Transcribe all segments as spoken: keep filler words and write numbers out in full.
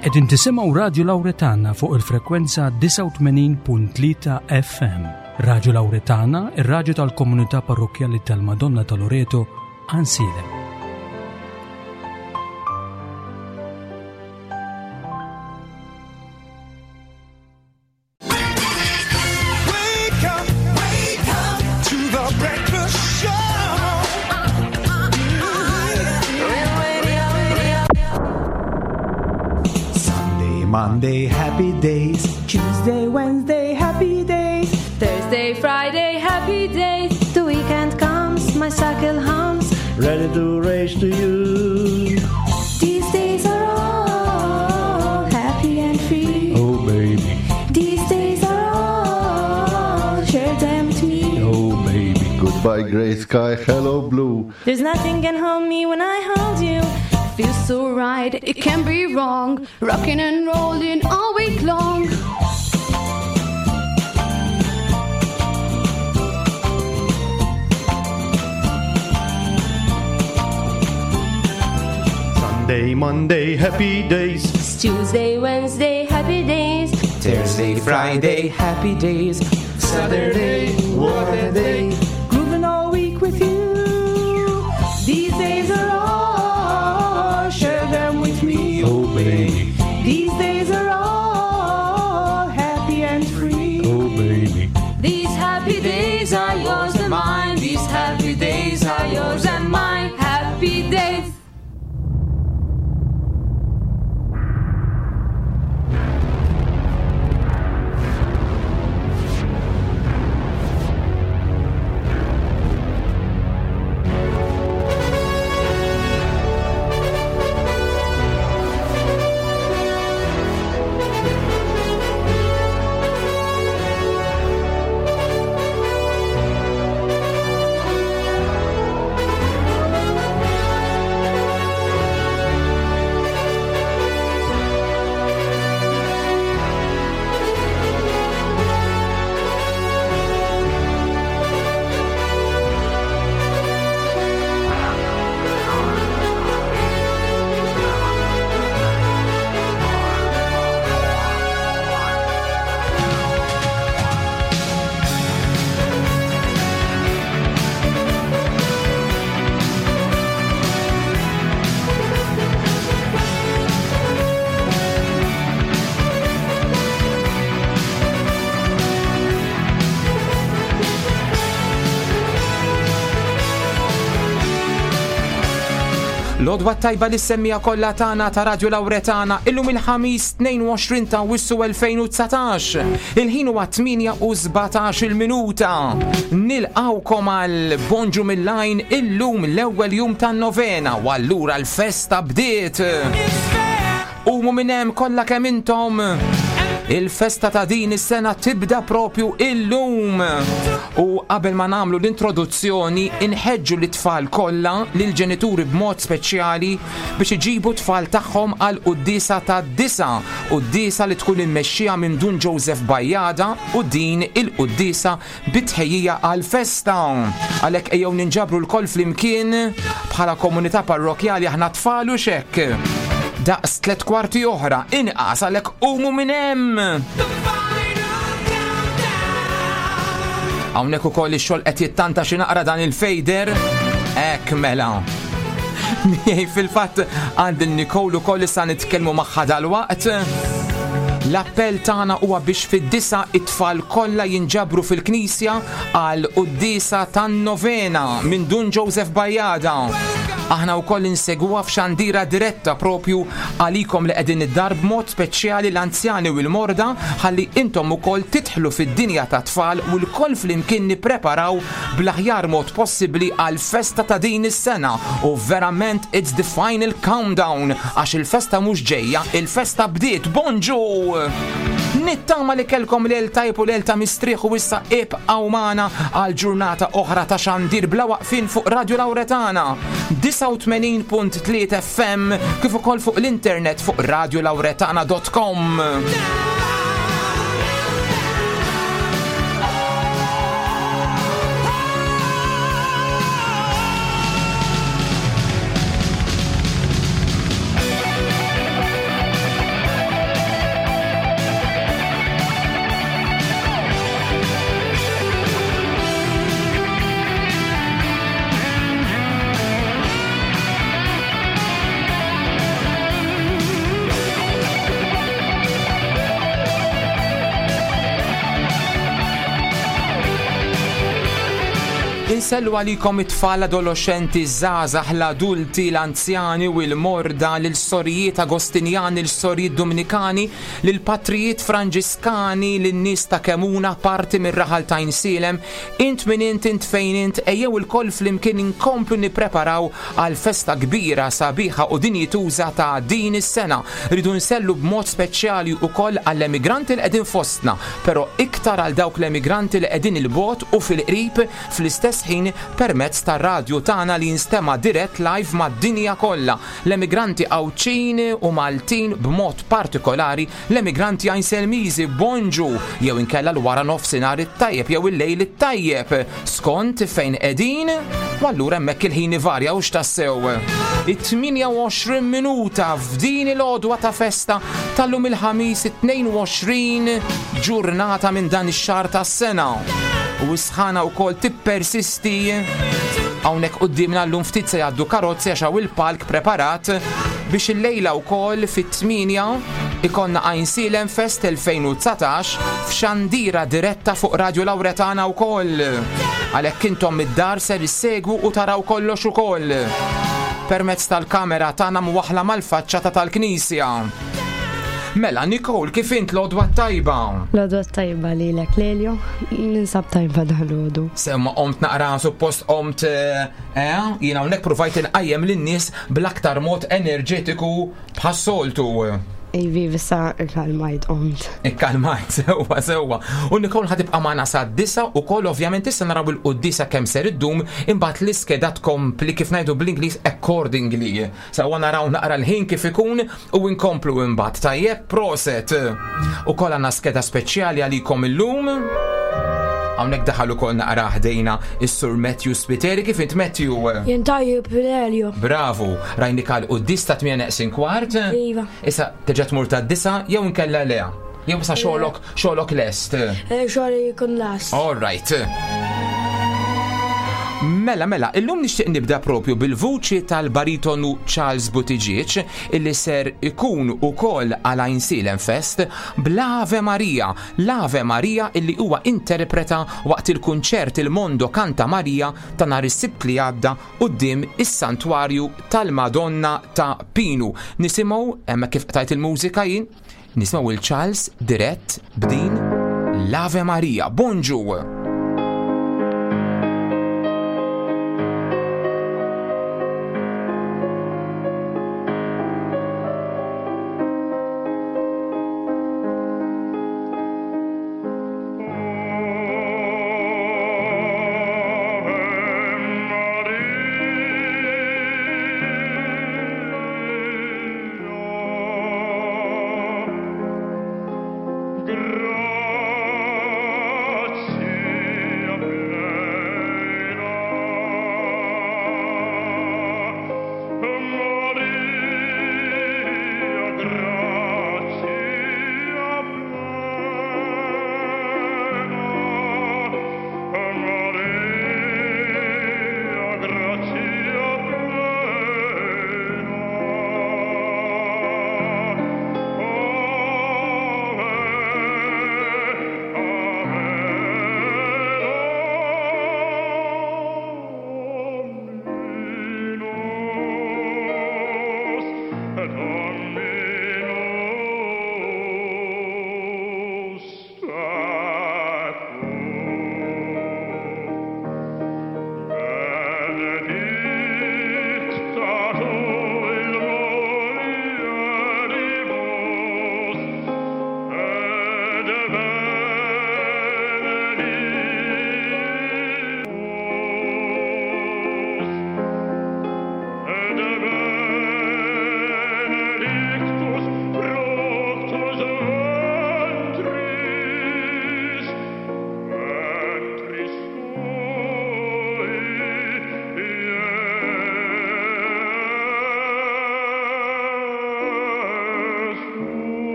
Qegħdin tisimgħu Radju Lawretana fuq il-frekwenza disgħa u tmenin punt tlieta F M. Radju Lawretana, ir-radju tal-komunità parrokkjali tal-Madonna ta' Loreto, Għajnsielem. Monday, happy days. Tuesday, Wednesday, happy days. Thursday, Friday, happy days. The weekend comes, my cycle hums. Ready to race to you. These days are all happy and free. Oh baby. These days are all, share them with me. Oh baby. Goodbye grey sky, hello blue. There's nothing can hold me when I hold you. Feels so right, it can't be wrong. Rocking and rolling all week long. Sunday, Monday, happy days. It's Tuesday, Wednesday, happy days. Thursday, Friday, happy days. Saturday, what a day. Grooving all week with you. These days are all, share them with me. Oh baby. These days are all happy and free. Oh baby. These happy days are yours and mine. These happy days are yours and mine. Happy days. L-għodwa tajba li semmija kollha tagħna ta' Radju Lawretana illum il-ħamis tnejn u għoxrin ta' Awwissu elfejn u dsatax. Il-ħin huwa tmienja u sbatax il-minuta. Nilqawkom għal Bonġu mill-Għajn illum l-ewwel jum tan-novena u allura l-festa bdiet. Umu minn hemm kollha kemm intom. Il-festa ta' din is-sena tibda propju illum. U qabel ma nagħmlu l-introduzzjoni, inħeġġu lit-tfal kollha, lill-ġenituri b'mod speċjali biex iġibu tfal tagħhom għal quddiesa ta' disa, quddiesa li tkun immexxija minn Dun Joseph Bajada u din il-quddiesa bitħejjija għal festa. Għalhekk ejjew ninġabru lkoll flimkien bħala komunità parrokjali aħna tfal u xekk. Daqs tliet kwarti oħra, inqas għalhekk qumu minn hemm. Hawnhekk ukoll ix-xogħol qed jittanta xi naqra dan il-fejder. Hekk mela. Miej fil-fatt għand il-Nicole ukoll issa nitkellmu magħha dalwaqt. L-appell tagħna huwa biex fid-disa it-tfal kollha jinġabru fil-knisja għal quddiesa tan-novena minn Dun Joseph Bajada. Aħna wkoll insegwuha f'xandira diretta propju għalikom li qegħdin id-dar b'mod speċjali l-anzjani u l-morda ħalli intom ukoll tidħlu fid-dinja ta' tfal u lkoll flimkien nippreparaw bl-aħjar mod possibbli għal festa ta' din is-sena. U verament it's the final countdown għax il-festa mhux ġejja, il-festa bdiet. Bonġu! Nittama li kellkom lejl tajb u lejl ta' mistrieħ u issa ibqgħu magħna għal ġurnata oħra ta' xandir bla waqfin fuq Radju Lawretana disgħa u tmenin punt tlieta F M kif ukoll fuq l-internet fuq radio lawretana dot com. Insellu għalikom it-tfal, adolescenti, żgħażagħ, l-adulti, l-anzjani u l-morda, l-sorijiet Agostinjani, l-sorijiet Dominikani, l-patrijiet Franġiskani, l-nies ta' Kemuna, parti mir-raħal ta' Għajnsielem. Int min int, int fejn int, ejjew ilkoll flimkien inkomplu nippreparaw għal festa kbira, sabiħa u dinjituża ta' din is-sena. Ridu nsellu b'mod speċjali wkoll għall-emigranti li qegħdin fostna, però iktar għal dawk l-emigranti li qegħdin il-bogħod u fil-qrib fl-istess ħin permezz tar-radju tagħna li jinstema' dirett live mad-dinja kollha. L-emigranti Għawdxin u Maltin, b'mod partikolari l-emigranti Għajnselmiżi, bonġu jew inkella l-wara nofsinhar it-tajjeb jew il-lejl it-tajjeb skont fejn qegħdin, u allura hemmhekk il-ħin ivarja u x'tassew. It-tmienja u għoxrin minuta f'din il-għodwa ta' festa tal-lum il-ħamis tnejn u għoxrin ġurnata minn dan ix-xahar tas-sena. U s-sħana wkoll tippersisti. Hawnhekk quddiemna llum ftit se jgħaddu karozzi għax hawn il-palk preparat biex illejla wkoll fit-tmienja ikonna Għajnsielem Fest elfejn u dsatax f'xandira diretta fuq Radio Lauretana wkoll. Għalhekk intom id-dar ser issegwu u taraw kollox ukoll permezz tal-kamera tagħna mwaħla mal-faċċata tal-Knisja. Mela, Nicole, kif int l-għodwa tajba? L-għodwa tajba lilek, Lelio. Ninsab tajba dal-għodu. Semma qomt naqra, suppost qomt, eh, eh, jiena hawnhekk provajt inqajjem lin-nies bl-aktar mod enerġetiku bħas-soltu. Ivi, vissa ikkalmajt qomt. Ikkalmajt, sewwa, sewwa. U Nicole ħatibqa' magħna sa disa u koll ovvjament issa naraw il-quddisa kemm ser iddum, imbagħad l-iskeda tkompli kif ngħidu bl-Ingliż accordingly. Sewwa naraw naqra l-ħin kif ikun u nkomplu imbagħad. Tajjeb, proset. U koll għandna skeda speċjali għalikom illum. Hawnhekk daħal ukoll naqra ħdejna is-Sur Matthew Spiteri. Kif int, Matthew? Jien tajjeb, Lelio. Bravu, rajnik għal quddis ta' tmien neqsin kwart. Iva. Issa terġa' tmur ta' disa jew inkella le? Jew sa xogħlok, xogħlok lest? Eh, xogħli jkun lest. All right. Mela, mela, illum nixtieq nibda propju bil-vuċi tal-baritonu Charles Buttigieg illi ser ikun ukoll għal Għajnsielem Fest bl-Ave Maria, l-Ave Maria illi huwa interpreta waqt il-kunċert Il Mondo Canta Maria ta' nhar is-Sibt li għadda quddiem is-Santwarju tal-Madonna ta' Pinu. Nisimgħu hemmhekk kif qtajt il-mużika jien, nisimgħu il-Charles dirett b'din l-Ave Maria. Bonġu!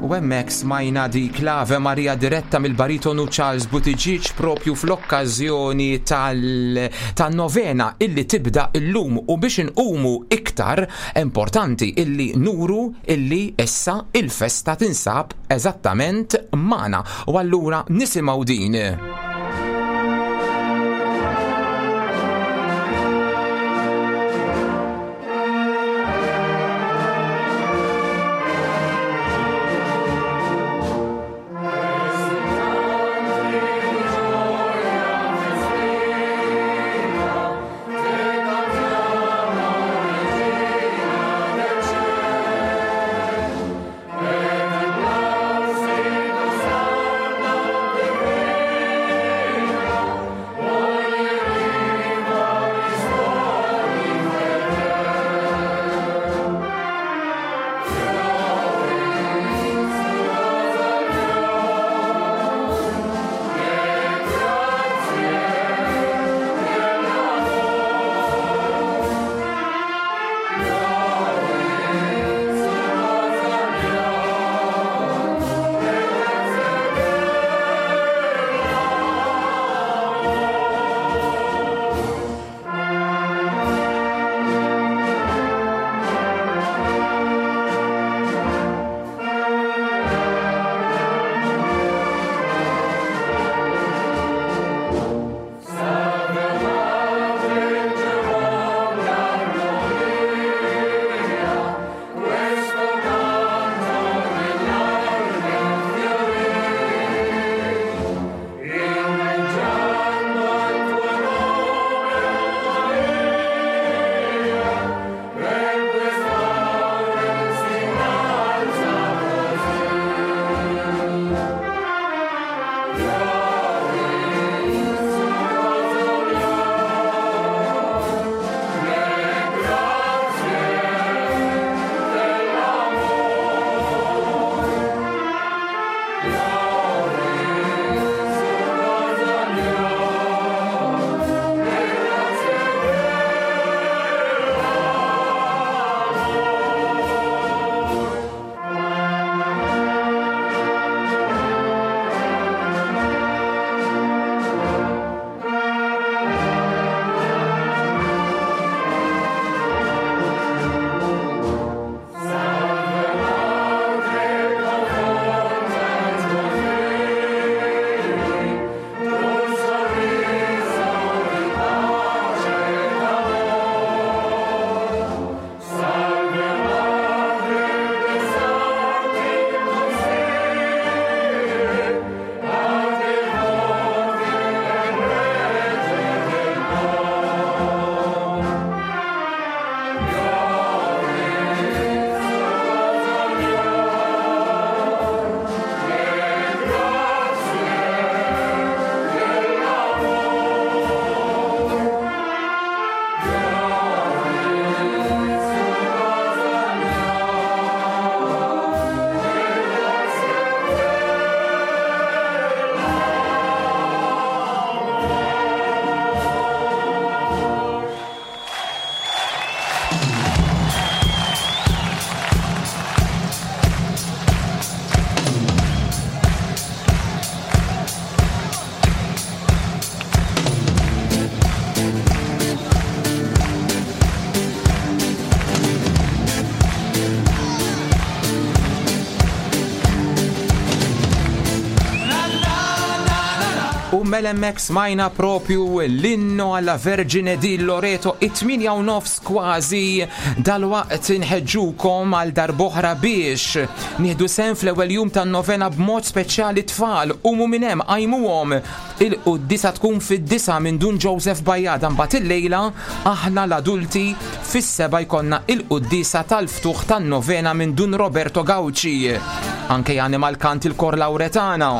U hemmhekk smajna dik l-Ave Maria diretta mill-baritonu Charles Buttigieg propju fl-okkażjoni tal-novena illi tibda illum, u biex inqumu iktar importanti illi nuru illi issa il-festa tinsab eżattament magħna. U allura nisimgħu din. Mela hemmhekk smajna propju l-inno alla Vergine di Loreto, it-tmienja u nofs kważi. Dalwaqt inħeġġukom għal darb'oħra biex nieħdu sehem fl-ewwel jum tan-novena b'mod speċjali tfal u minn hemm qajmuhom. Il-quddiesa tkun fid-disa minn Dun Joseph Bajada, mbagħad illejla aħna l-adulti fis-seba jkollna il-quddiesa tal-ftuħ tan-novena minn Dun Roberto Gauci. Anke jani mal-kant il-Kor Lauretana.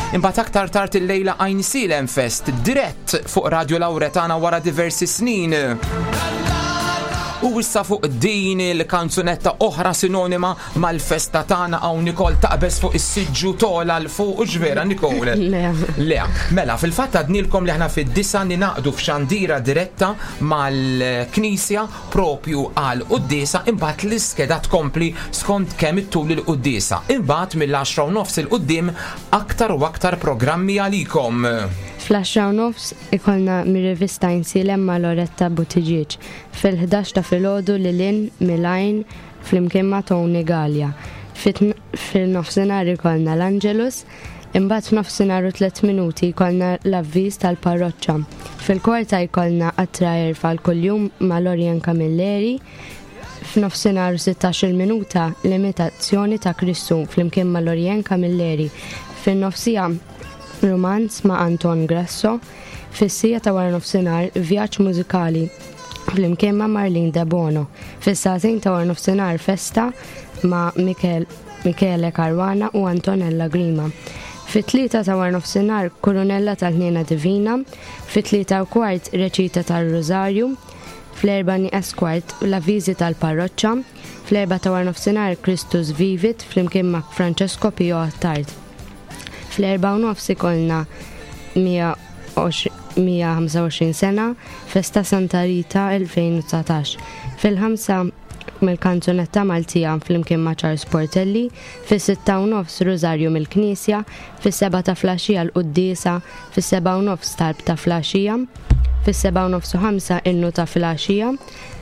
Imbagħad aktar tard illejla Għajnsielem Fest dirett fuq Radio Lauretana wara diversi snin. U issa fuq din il-kanzunetta oħra sinonima mal-festa tagħna hawn Nicole taqbeż fuq is-siġġu tola 'l fuq u ġvera Nicole. Le. Le, mela fil-fatt għednilkom li aħna fid-disgħa ningħaqdu f'xandira diretta mal-Knisja propju għal quddiesa imbagħad l-iskeda tkompli skont kemm ittul il-quddiesa. Imbagħad mill-għaxra u nofs 'il quddiem aktar u aktar programmi għalikom. Fl-għaxra u nofs ikollna mir-rivista Għajnsielem ma' Loretta Buttigieg. Fil-ħdax ta' filgħodu Lilin Milajn flimkien ma' Tony Gallia. Fil-nofsinhar ikollna l-Angelus, imbagħad f'nofsinhar u tliet minuti jkollna l-avviż tal-parroċċa. Fil-kwarta jkollna qatra għerf għal kuljum ma' Lorian Camilleri. F'nofsinhar u sittax-il minuta l-imitazzjoni ta' Kristu flimkien ma' Lorian Camilleri. Fin-nofsija romanz ma' Anton Grasso. Fis-siegħa ta' wara nofsinhar vjaġġ mużikali flimkien ma' Marlene De Bono. Fis-sagħtejn ta' wara nofsinhar festa ma' Michel, Michele Caruana u Antonella Grima. Fit-tlieta ta' wara nofsinhar Kurunella tal-Ħniena Divina, fit-tlieta u kwart reċita tal-Rożarju, fl-erba' nieqes kwart l-avviżi tal-parroċċa, fl-erbgħa ta' wara nofsinhar Christus Vivit flimkien ma' Francesco Pio Attard. Fl-erbgħa u nofs ikollna mija ħamsa u għoxrin sena, Festa Santa Rita elfejn u dsatax. Fil-ħamsa mill-kanzunetta Maltija flimkien ma' Charles Portelli, fis-sitta u nofs Rosario mill-Knisja, fis-sebgħa ta' flaxija l-Quddiesa, fis-sebgħa u nofs talb ta' flaxija, fis-sebgħa u nofs u ħamsa innu ta' flaxija,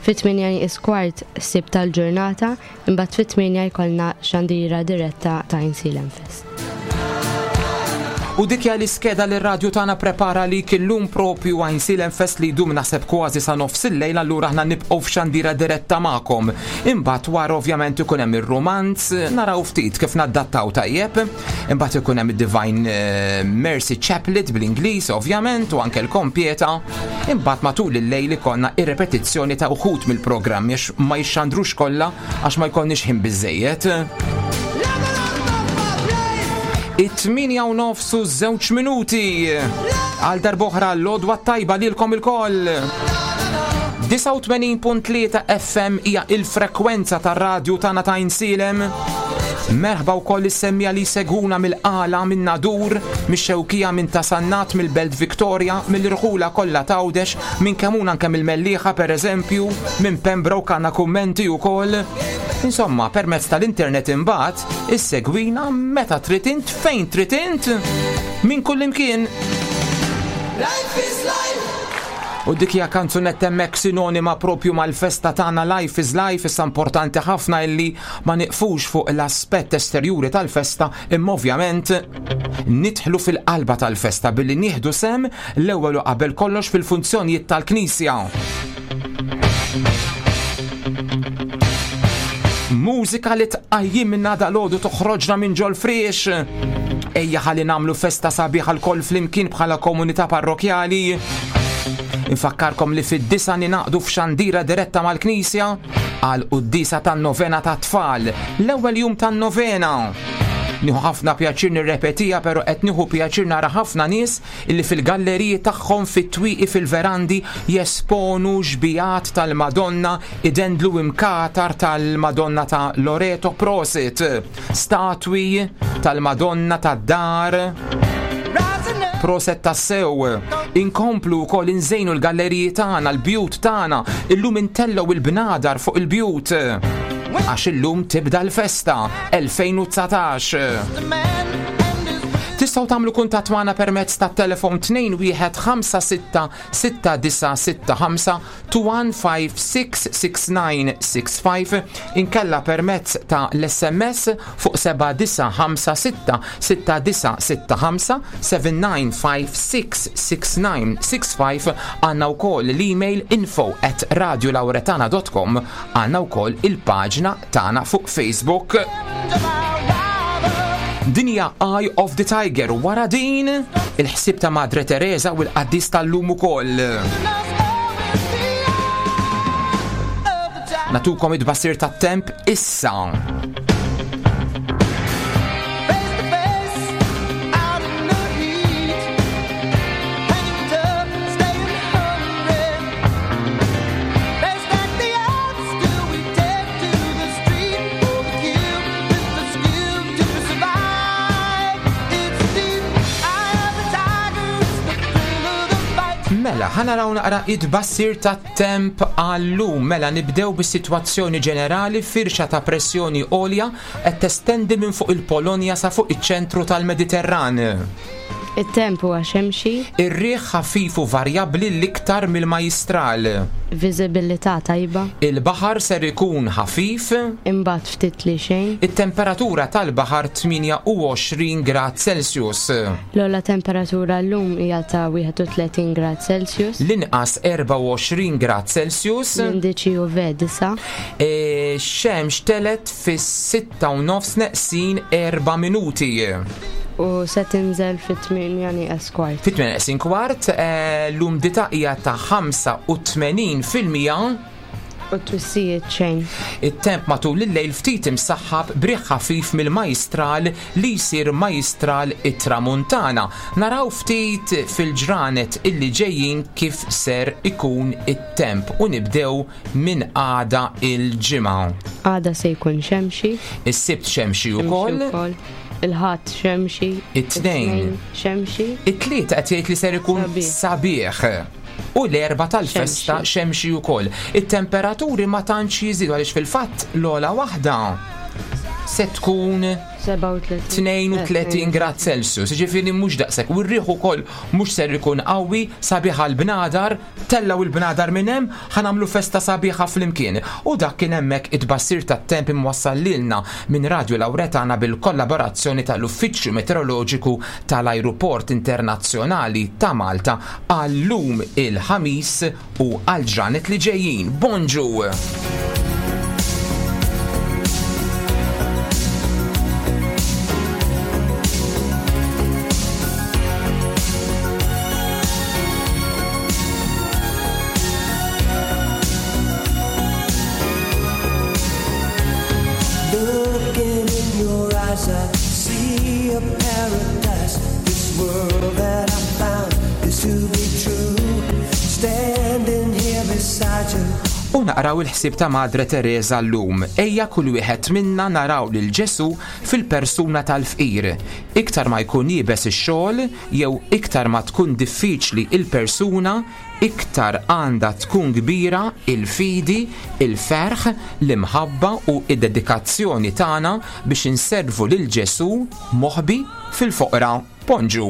fit-tmienja nieqes kwart sib tal-ġurnata, imbagħad fit-tmienja jkollna xandira diretta ta' Għajnsielem Fest. U dik hija l-iskeda li r-radju tagħna prepara li illum propju Għajnsielem Fest li jdum naħseb kważi sa nofs il-lejl, allura aħna nibqgħu f'xandira diretta magħkom. Imbagħad wara ovvjament ikun hemm ir-romanz, naraw ftit kif naddattaw tajjeb. Imbagħad ikun hemm id-Divine, eh, Mercy Chaplet bl-Ingliż ovvjament u anke l-kompieta. Imbagħad matul il-lejl ikollna ir-repetizzjoni ta' uħud mill-programmi għax ma jixxandrux kollha għax ma jkollniex ħin biżejjed. It-tmienja u nofs u żewġ minuti. Għal darb'oħra l-għodwa tajba lilkom ilkoll. Disgħa u tmenin punt tlieta F M hija il-frekwenza tar-radju tagħna ta' Għajnsielem. Merħba wkoll is-semmija li seguna mill-Qala, minn Nadur, mix-Xewkija, minn Tasannat, mill-Belt Victoria, mill-Irħula kollha t'Għawdex, minn Kemuna anke mill-Mellieħa pereżempju, minn Pembroke għandna kummenti wkoll. Insomma, permezz tal-internet imbagħad, issegwina meta trid int, fejn trid int, minn kull imkien. Life is life. U dik hija kanzunetta hemmhekk sinonima propju mal-festa tagħna Life is Life. Issa importanti ħafna illi ma niqfux fuq l-aspett esterjuri tal-festa, imma ovvjament nidħlu fil-qalba tal-festa billi nieħdu sem l-ewwel u qabel kollox fil-funzjonijiet tal-Knisja. Mużika li tqajjimna dal-għodu toħroġna minn ġol friex. Ejja ħalli nagħmlu festa sabiħa lkoll flimkien bħala komunità parrokjali. Infakkarkom li fid-disgħa ninaqdu f'xandira diretta mal-Knisja għal quddiesa tan-novena tat-tfal, l-ewwel jum tan-novena. Nieħu ħafna pjaċir nirrepetija, però qed nieħu pjaċir nara ħafna nies illi fil-galleriji tagħhom fit-twieqi fil-verandi jesponu xbijat tal-Madonna, idendlu imkatar tal-Madonna ta' Loreto Prosit, statwi tal-Madonna tad-dar. Proset tassew. Inkomplu wkoll inżejnu l-galleriji tagħna, l-bjut tagħna, illum intellgħu il-bnadar fuq il-bjut. Għax illum tibda l-festa elfejn u dsatax. Tistgħu tagħmlu kuntatt magħna permezz tat-telefon tnejn wieħed ħamsa sitta sitta disa' sitta ħamsa two one five six six nine six five, inkella permezz ta' l-S M S fuq seba' disa' ħamsa sitta sitta disa' sitta ħamsa seven nine five six six nine six five. Għandna wkoll l-email info at radio lauretana dot com, għandna wkoll il-paġna tagħna fuq Facebook. Dinja Eye of the Tiger, wara din il-ħsieb ta' Madre Teresa u l-qaddis tal-lum ukoll. Natukom id-basir tat-temp issa. Mela, ħa naraw naqra it-tbassir tat-temp għallum. Mela, nibdew bis-sitwazzjoni ġenerali, firxa ta' pressjoni għolja qed testendi minn fuq il-Polonja sa fuq iċ-ċentru tal-Mediterran. It-temp huwa xemxi. Ir-riħ ħafif u varjabbli l-iktar mill-Majjistral. Viżibilità tajba. Il-baħar ser ikun ħafif. Imbagħad ftit li xejn. It-temperatura tal-baħar tmienja u għoxrin grad Celsius. L-ogħla temperatura llum hija ta' wieħed u tletin grad Celsius. L-inqas erbgħa u għoxrin grad Celsius. L-indiċi U V disa'. E, xemx telet fis-sitta u nofs neqsin erba' minuti. U se tinżel fit-tmienja nieqes kwart. Fit-tmienja neqsin kwart, eh, l-umdità hija ta' ħamsa u tmenin fil-mija. U twissijiet xejn. It-temp matul il-lejl ftit imsaħħab briħ ħafif mill-Majjistral li jsir Majjistral it-Tramuntana. Naraw ftit fil-ġranet illi ġejjin kif ser ikun it-temp u nibdew minn għada il-ġimgħa. Għada se jkun xemxi. Is-Sibt xemxi Xemxi ukoll. ukoll. Il-Ħadd xemxi. It-Tnejn. It-Tnejn xemxi. It-Tlieta qed jgħid li ser ikun Sabiħ. sabiħ. U l-Erbgħa tal-festa Xemxi. xemxi wkoll. It-temperaturi ma tantx jiżidu għaliex fil-fatt l-ogħla waħda se tkun Sebgħa u tletin. tnejn u tletin grad Celsius, jiġifieri mhux daqshekk. U r-riħ ukoll mhux ser ikun qawwi, sabiħ għall-bnadar, tellgħu il-bnadar minn hemm, ħa nagħmlu festa sabiħa flimkien. U dak kien hemmhekk it-tbassir tat-temp imwassal lilna minn Radio Lauretana bil-kollaborazzjoni tal-Uffiċċju Meteoroloġiku tal-Ajruport Internazzjonali ta' Malta għall-lum il-ħamis u għal-ġranet li ġejjin. Bonġu! Looking in your eyes, I see a paradise. This world that I found is to be true. Standing here beside you. U naqraw il-ħsieb ta' Madre Teresa llum. Ejja kull wieħed minna naraw lil Ġesu fil-persuna tal-fqir. Iktar ma jkun iebes ix-xogħol jew iktar ma tkun diffiċli il-persuna, iktar għandha tkun kbira il-fidi, il-ferħ, l-imħabba u id-dedikazzjoni tagħna biex inservu lil Ġesu moħbi fil-foqra. Bonġu!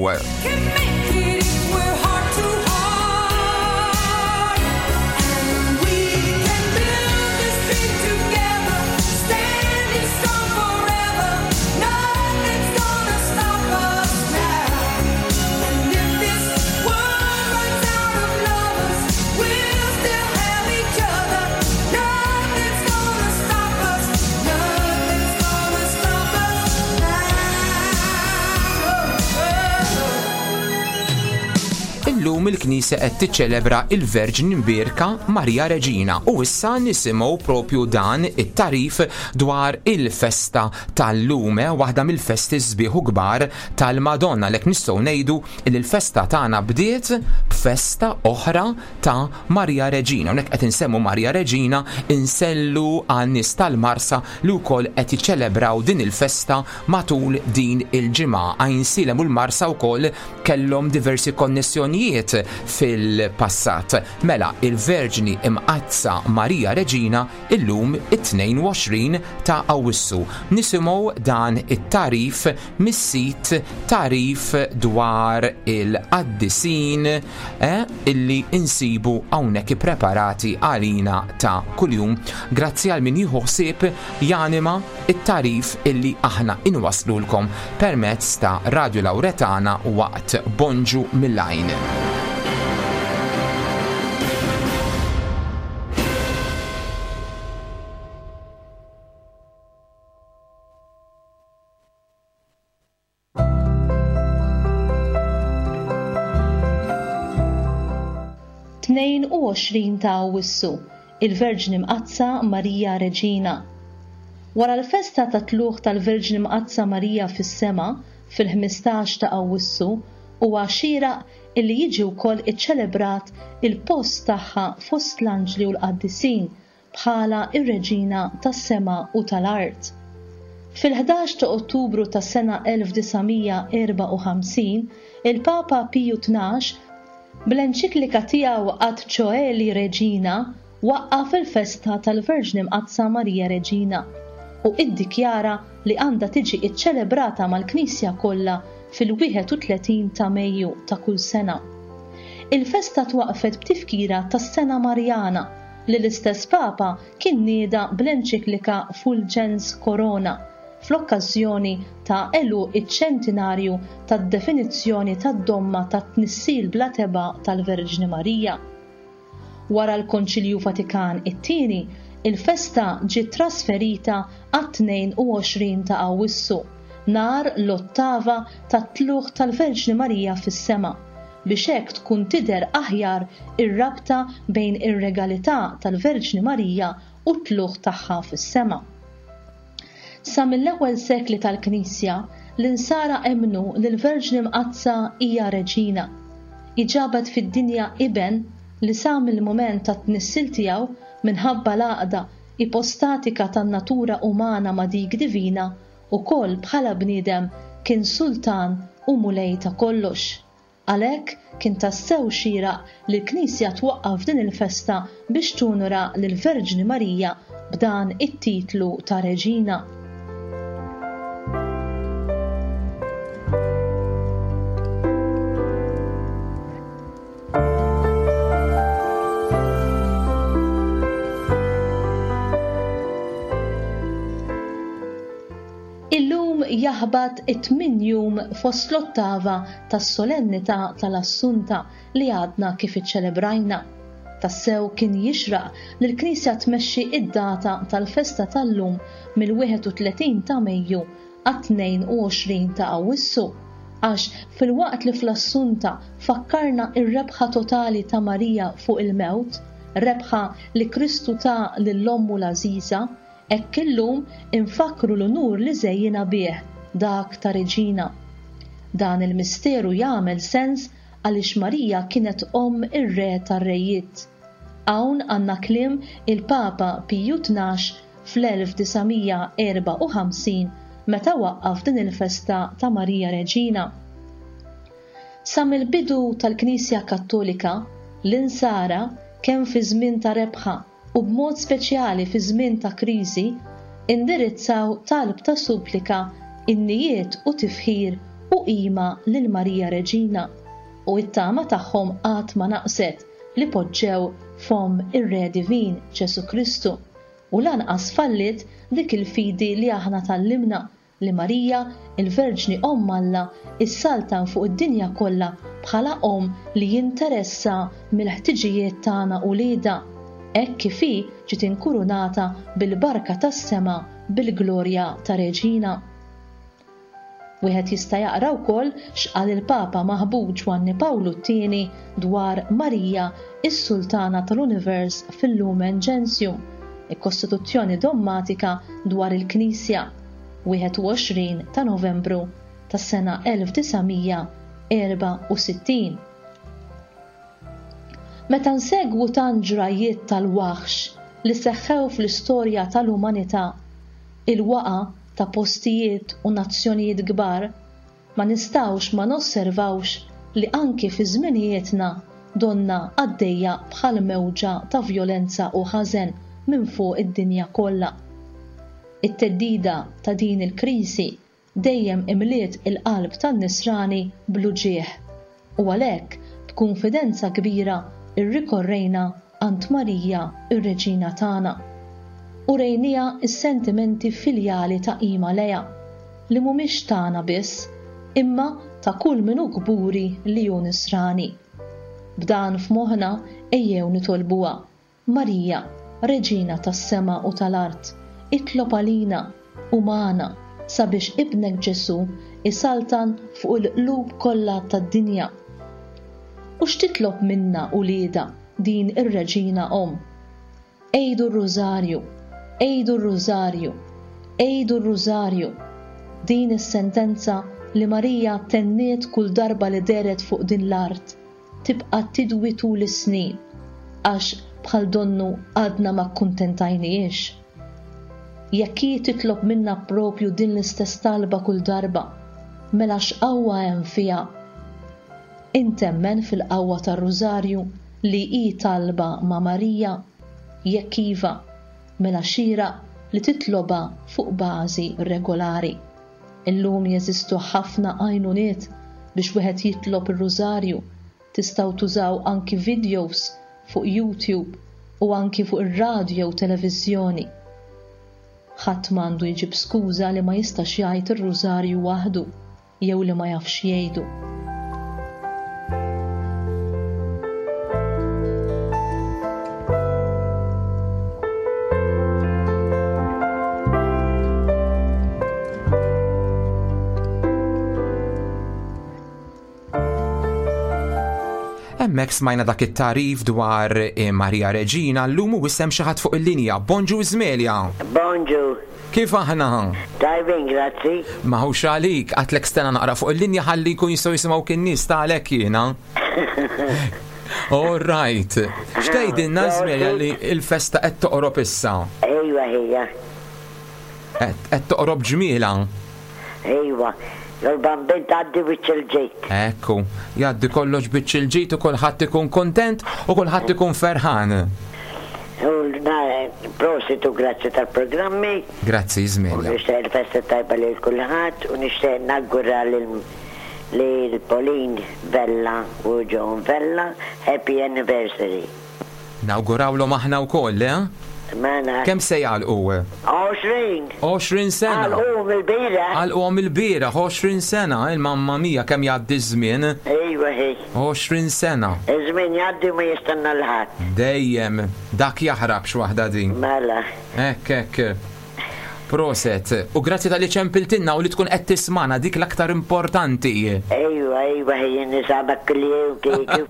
Illum il-Knisja qed tiċċelebra il-Verġni Mbierka Marija Reġina u issa nisimgħu propju dan it-tarif dwar il-festa tal-lum, eh, waħda mill-festi sbieħ u kbar tal-Madonna. Lek nistgħu ngħidu li l-festa tagħna bdiet b'festa oħra ta' Marija Reġina. Hawnhekk qed insemmu Marija Reġina insellu għan-nies tal-Marsa li wkoll qed jiċċelebraw din il-festa matul din il-ġimgħa. Għajnsielem u l-Marsa wkoll kellhom diversi konnessjonijiet fil-passat. Mela, il-Verġni Imqaddsa Marija Reġina illum it-tnejn u għoxrin ta' Awwissu. Nisimgħu dan it-tarif mis-sit tarif dwar il-qaddisin, eh, illi insibu hawnhekk ippreparati għalina ta' kuljum. Grazzi għal min jieħu ħsieb janima it-tarif illi aħna inwaslulkom permezz ta' Radio Lauretana waqt Bonġu mill-Għajn. Tnejn u għoxrin ta' Awwissu, il-Verġni Mqaddsa Marija Reġina. Wara l-festa ta' tluq tal-Verġni Mqaddsa Marija fis-sema fil-ħmistax ta' Awwissu huwa xieraq illi jiġi wkoll iċċelebrat il-post tagħha fost l-anġli u l-qaddisin bħala ir-Reġina tas-sema u tal-art. Fil-ħdax ta' Ottubru tas-sena elf disa' mija erba' u ħamsin, il-Papa Piju tnax Bl-enċiklika tiegħu Ad Coeli Regina waqqaf il-festa tal-Verġni Mqaddsa Marija Reġina u iddikjara li għandha tiġi iċċelebrata mal-Knisja kollha fil-wieħed u tletin ta' Mejju ta' kull sena. Il-festa twaqfet b'tifkira tas-Sena Marjana li l-istess Papa kien nieda bl-enċiklika Fulgens Corona fl-okkażjoni ta' għeluq iċ-ċentinarju tad-definizzjoni tad-domma tat-tnissil bla tebgħa tal-Verġni Marija. Wara l-Konċilju Vatikan it-tieni, il-festa ġiet trasferita għat-tnejn u għoxrin ta' Awwissu, nhar l-ottava tat-tluq tal-Verġni Marija fis-sema, biex hekk tkun tidher aħjar ir-rabta bejn ir-regalità tal-Verġni Marija u t-tluq tagħha fis-sema. Sa mill-ewwel sekli tal-Knisja, l-insara emmnu li l-Verġni Mqaddsa hija reġina. Iġabet fid-dinja iben li sa mill-mument tat-tnissil tiegħu minħabba l-għaqda ipostatika tan-natura umana ma' dik divina ukoll bħala bniedem kien sultan u mulej ta' kollox. Għalhekk kien tassew xieraq li l-Knisja twaqqaf din il-festa biex tunura lill-Verġni Marija b'dan it-titlu ta' reġina. Illum jaħbat it-tmien jum fost l-ottava tas-solennità tal-Assunta li għadna kif iċċelebrajna. Tassew kien jixraq li l-Knisja tmexxi id-data tal-festa tal-lum mill-wieħed u tletin ta' Mejju għat-tnejn u għoxrin ta' Awwissu, għax fil-waqt li fl-Assunta fakkarna ir-rebħa totali ta' Marija fuq il-mewt, rebħa li Kristu ta lil ommu l-għażiża, hekk illum infakru l-unur li żejjina bih, dak ta' reġina. Dan il-misteru jagħmel sens għaliex Marija kienet omm ir-re tar-rejiet. Hawn għandna kliem il-Papa Piju tnax fl-elf disa' mija erba' u ħamsin meta waqqaf din il-festa ta' Marija Reġina. Sa mill-bidu tal-Knisja Kattolika, l-insara kemm fi żmien ta' rebħa u b'mod speċjali fi żmien ta' kriżi, indirizzaw talb ta' supplika, innijiet u tifħir u qima lil Marija Reġina, u it-tama tagħhom qatt ma naqset li poġġew fom ir-Re Divin Ġesu Kristu, u lanqas fallit dik il-fidi li aħna tallimna li Marija, il-Verġni Omm Alla, issaltan fuq id-dinja kollha bħala omm li jinteressa mill-ħtiġijiet tagħna u lieda, hekk kif hi ġiet inkurunata bil-barka tas-sema bil-glorja ta' Reġina. Wieħed jista' jaqra wkoll x'qal il-Papa maħbub Ġwanni Pawlu t-tieni dwar Marija, is-Sultana tal-Univers fil-Lumen Gentium, il-Kostituzzjoni Dogmatika dwar il-Knisja, wieħed u għoxrin ta' Novembru tas-sena elf disa' mija erba' u sittin. Meta nsegwu tant ġrajiet tal-waħx li seħħew fl-istorja tal-umanità, il-waqa ta' postijiet u nazzjonijiet kbar, ma nistgħux ma nosservawx li anki fi żminijietna donna għaddejja bħal mewġa ta' vjolenza u ħażen minn fuq id-dinja kollha. It-teddida ta' din il-kriżi dejjem imliet il-qalb tan-nisrani bl-uġigħ, u għalhekk b'kunfidenza kbira irrikorrejna għand Marija ir-Reġina tagħna u rejnija s-sentimenti filjali ta' qima lejha li mhumiex tagħna biss imma ta' kull min hu kburi li hu nisrani. B'dan f'moħħna ejjew nitolbuha. Marija, Reġina tas-sema u tal-art, itlob għalina u magħna sabiex ibnek Ġesu isaltan fuq il-qlub kollha tad-dinja. U x'titlob minna uliedha din ir-Reġina Omm? Ejdu r-Rużarju, ejdu r-Rużarju, ejdu r-Rużarju. Din is-sentenza li Marija tenniet kull darba li dehret fuq din l-art tibqa' tidwi tul is-snin, għax bħal donnu għadna ma kkuntentajniex. Jekk hi titlob minna propju din l-istess talba kull darba, mela x'qawwa hemm fiha. Int temmen fil-qawwa tar-Rużarju li hi talba ma' Marija? Jekk iva, mela xieraq li titlobha fuq bażi regolari. Illum jeżistu ħafna għajnuniet biex wieħed jitlob ir-Rużarju. Tistgħu tużaw anki videos fuq YouTube u anki fuq ir-radjo u televiżjoni. Ħadd m'għandu jġib skuża li ma jistax jgħid ir-Rużarju waħdu jew li ma jafx jgħidu. Hemmhekk smajna dak it-tarif dwar eh, Marija Reġina, llum u issem xi ħadd fuq il-linja. Bonġu Izmelja. Bonġu. Kif aħna? Tajbin, grazzi. Maħux għalik, għatlek stena naqra fuq il-linja ħalli jkun jistgħu jisimgħu kien nies ta' għalhekk jiena. All right. X'tgħidilna Izmelja li l-festa qed toqrob issa? Ejwa ħija. Qed toqrob ġmiela. Ejwa. L-bambin tgħaddi biċ il-ġejt. Ekku, jgħaddi kollox biċ il-ġejt u kulħadd ikun kontent u kulħadd ikun ferħan. U prosit u grazzi tal-programmi. Grazzi, Izmelja. U nixtieq il-festa tajba lil kulħadd u nixtieq nawgura lil Pauline Vella u John Vella happy anniversary. Nawgurawlhom aħna wkoll, eh? Mela. Kemm se jgħalqu? għoxrin. għoxrin sena. Għalquhom il-bieraħ. Għalquhom il-bieraħ, għoxrin sena, il-mamma mia kemm jgħaddi ż-żmien. Ejwa hi. għoxrin sena. Iż-żmien jgħaddi ma jistenna l-ħadd. Dejjem, dak jaħrab x'waħda din. Mela. Hekk hekk. Proset. U grazzi tal-li ċempiltinna u li tkun qed tismana dik l-aktar importanti. Ejwa, ejwa, jien nisabak kull-jum kieku.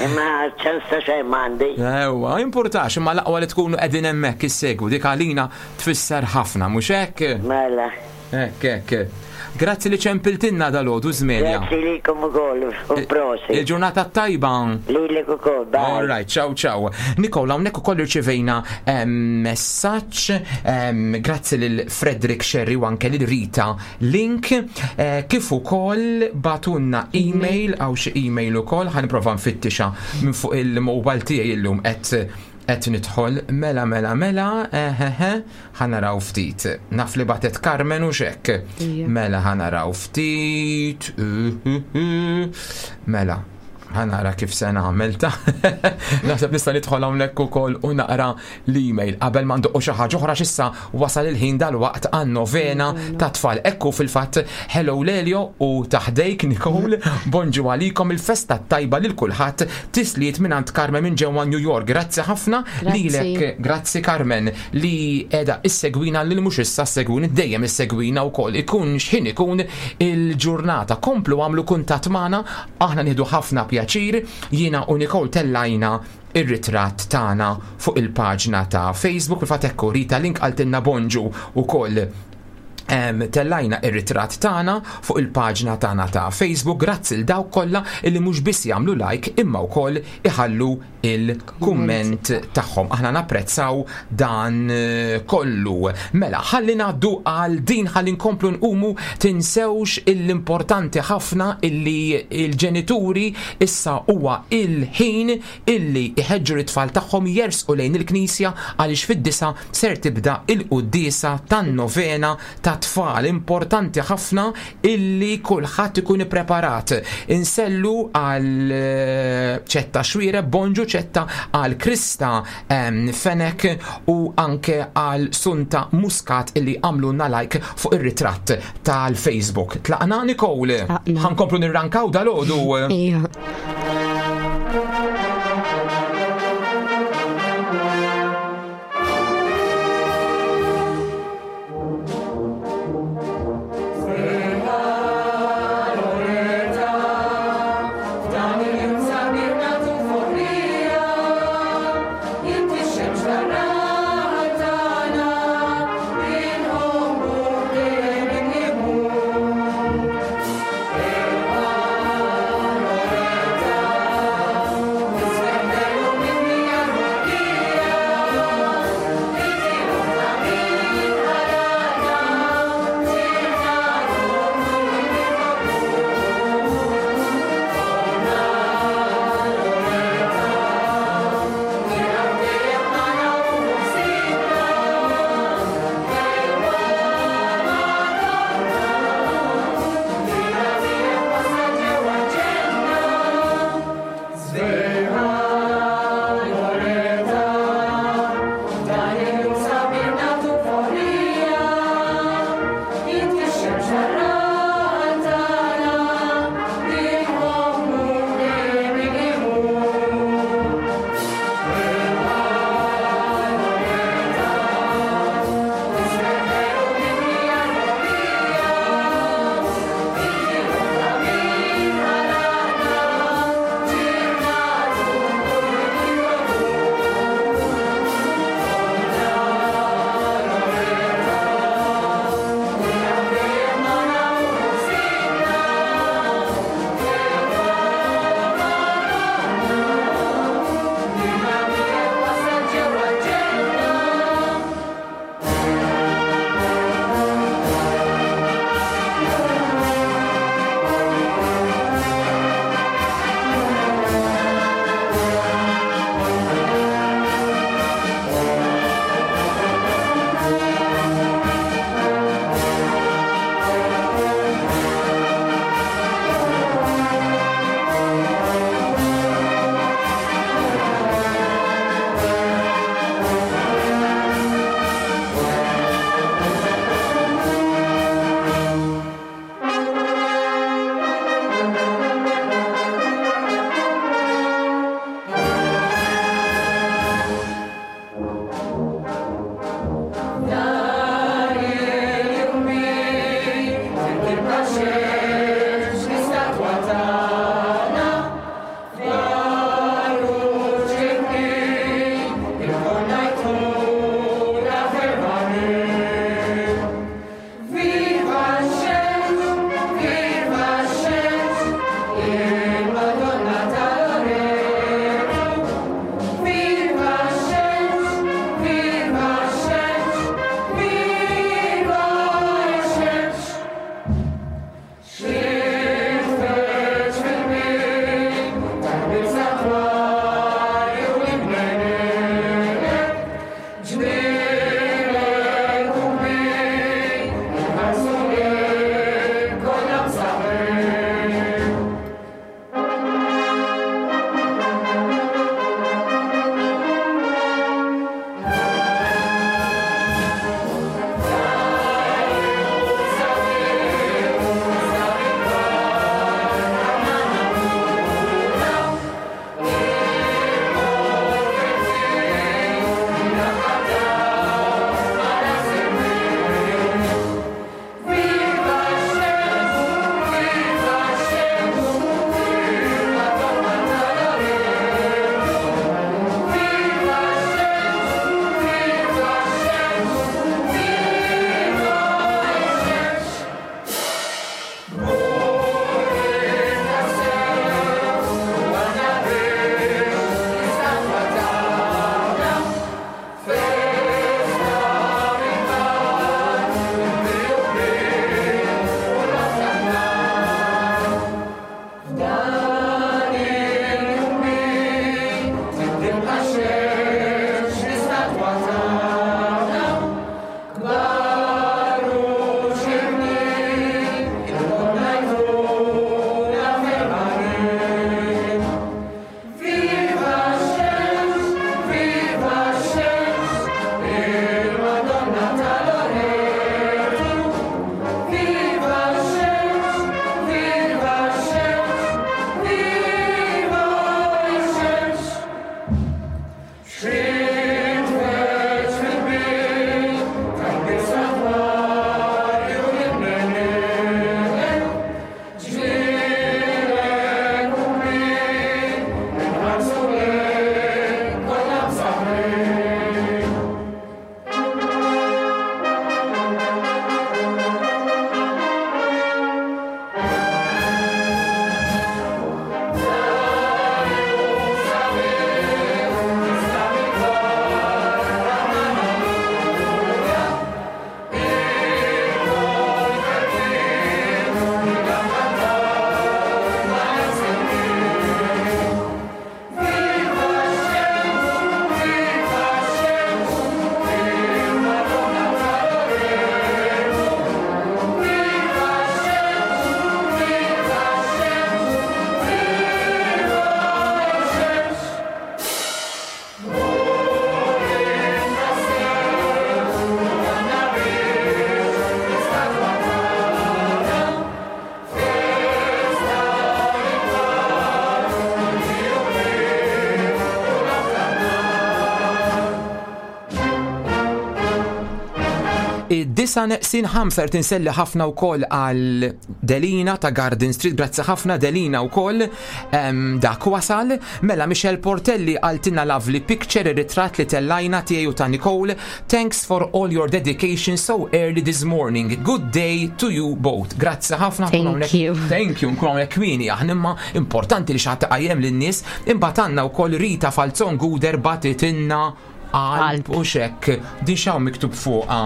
Imma ċans ta' xejn m'għandi. Ejwa, importax, imma l-aqwa li tkunu qegħdin hemmhekk issegwu dik għalina tfisser ħafna, mhux hekk? Mela. Hekk, hekk. Grazzi li ċempiltinna dalgħodu Żmelja. Grazzi lilkom ukoll u prosit. Il-ġurnata tajba. Lilek ukoll, bye. All right, ciao ciao. Nikola, hawnhekk ukoll irċivejna messaġġ, grazzi lil Frederick Sherry u anke lil Rita Link, eh, kif ukoll batunna email għaw xi email ukoll, ħa nipprova nfittixa minn fuq il-mobile tiegħi illum qed qed nidħol mela mela mela ehehe ħa naraw ftit. Naf li batet Carmen u xek. Mela ħa naraw ftit. Mela ħa nara kif se nagħmel ta'. Naħseb nista' nidħol hawnhekk ukoll u naqra l-email qabel ma ndoqqu xi ħaġa oħra x'issa wasal il-ħin dalwaqt għan-novena ta' tfal. Ekku fil-fatt hello Lelio u taħdejk Nicole, bonġu għalikom il-festa tajba lil kulħadd, tisliet mingħand Carmen minn ġewwa New York. Grazzi ħafna lilek, grazzi Carmen li qiegħda issegwina lil mhux issa segwini dejjem issegwina wkoll ikun x'ħin ikun il-ġurnata. Komplu għamlu kuntatt magħna, aħna nieħdu ħafna pjaċir. Jiena u Nicole tellajna ir-ritratt tagħna fuq il-paġna ta' Facebook, fil-fatt ekku Rita Link qaltilna bonġu ukoll. Tellajna ir-ritratt tagħna fuq il-paġna tagħna ta' Facebook. Grazzi l dawk kollha illi mhux biss jagħmlu like imma wkoll iħallu il-kumment tagħhom. Aħna napprezzaw dan kollu. Mela, ħalli ngħaddu għal din, ħalli nkomplu nqumu. Tinsewx l-importanti ħafna illi il-ġenituri issa huwa il-ħin illi iħeġġu l-tfal tagħhom jersqu lejn il-knisja għaliex fid-disa ser tibda il-quddiesa tan-novena ta' tfal. Importanti ħafna illi kulħadd ikun ippreparat. Insellu għal ċetta Xwire, bonġu ċetta għal Krista Fenek u anke għal Sunta Muscat illi għamlu like fuq ir-ritratt tal-Facebook. Tlaqna Nicole, ħankomplu nirrankaw dal-għodu. Ija. Thank you. Id-disa neqsin ħamsa rrid inselli ħafna wkoll għal Delina ta' Garden Street, grazzi ħafna Delina wkoll, em, dak wasal. Mela Michelle Portelli qaltilna lovely picture, ir-ritratt li tellajna tiegħi u ta' Nicole. Thanks for all your dedication so early this morning. Good day to you both. Grazzi ħafna. Thank you. Thank you, nkunu hawnhekk kmieni aħna, imma importanti li xi ħadd iqajjem lin-nies. Imbagħad għandna wkoll Rita Falzon Guder bagħtitilna qalb u xek. Din x'hawn miktub fuqha?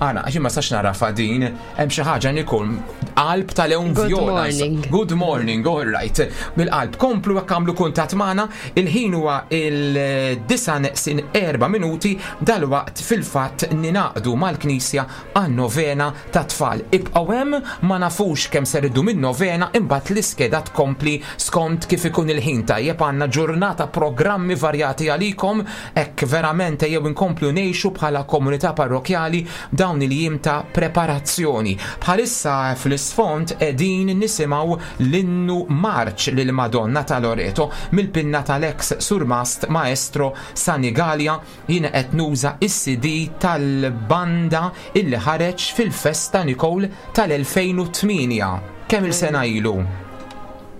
Għana, għax ma sax narafa din, hemm xi ħaġa Nicole, qalb tal-lewn Good vjola. morning. Good morning, all right. Bil-qalb, komplu jekk għamlu kuntatt magħna, il-ħin huwa il-disa neqsin erba' minuti, dalwaqt fil-fatt ningħaqdu mal-Knisja għan-novena ta' tfal. Ibqgħu hemm, ma nafux kemm ser iddum in-novena, imbagħad l-iskeda tkompli skont kif ikun il-ħin. Tajjeb, għandna ġurnata programmi varjati għalikom, hekk verament jew inkomplu ngħixu bħala komunità parrokjali dawn il-jiem ta' preparazzjoni. Bħalissa fl-isfond qegħdin nisimgħu l-innu marċ lil Madonna ta' Loreto mill-pinna tal-ex surmast maestro Sani Galea. Jien qed nuża is-C D tal-banda illi ħareġ fil-festa Nicole tal-elfejn u tmienja. Kemm il-sena ilu?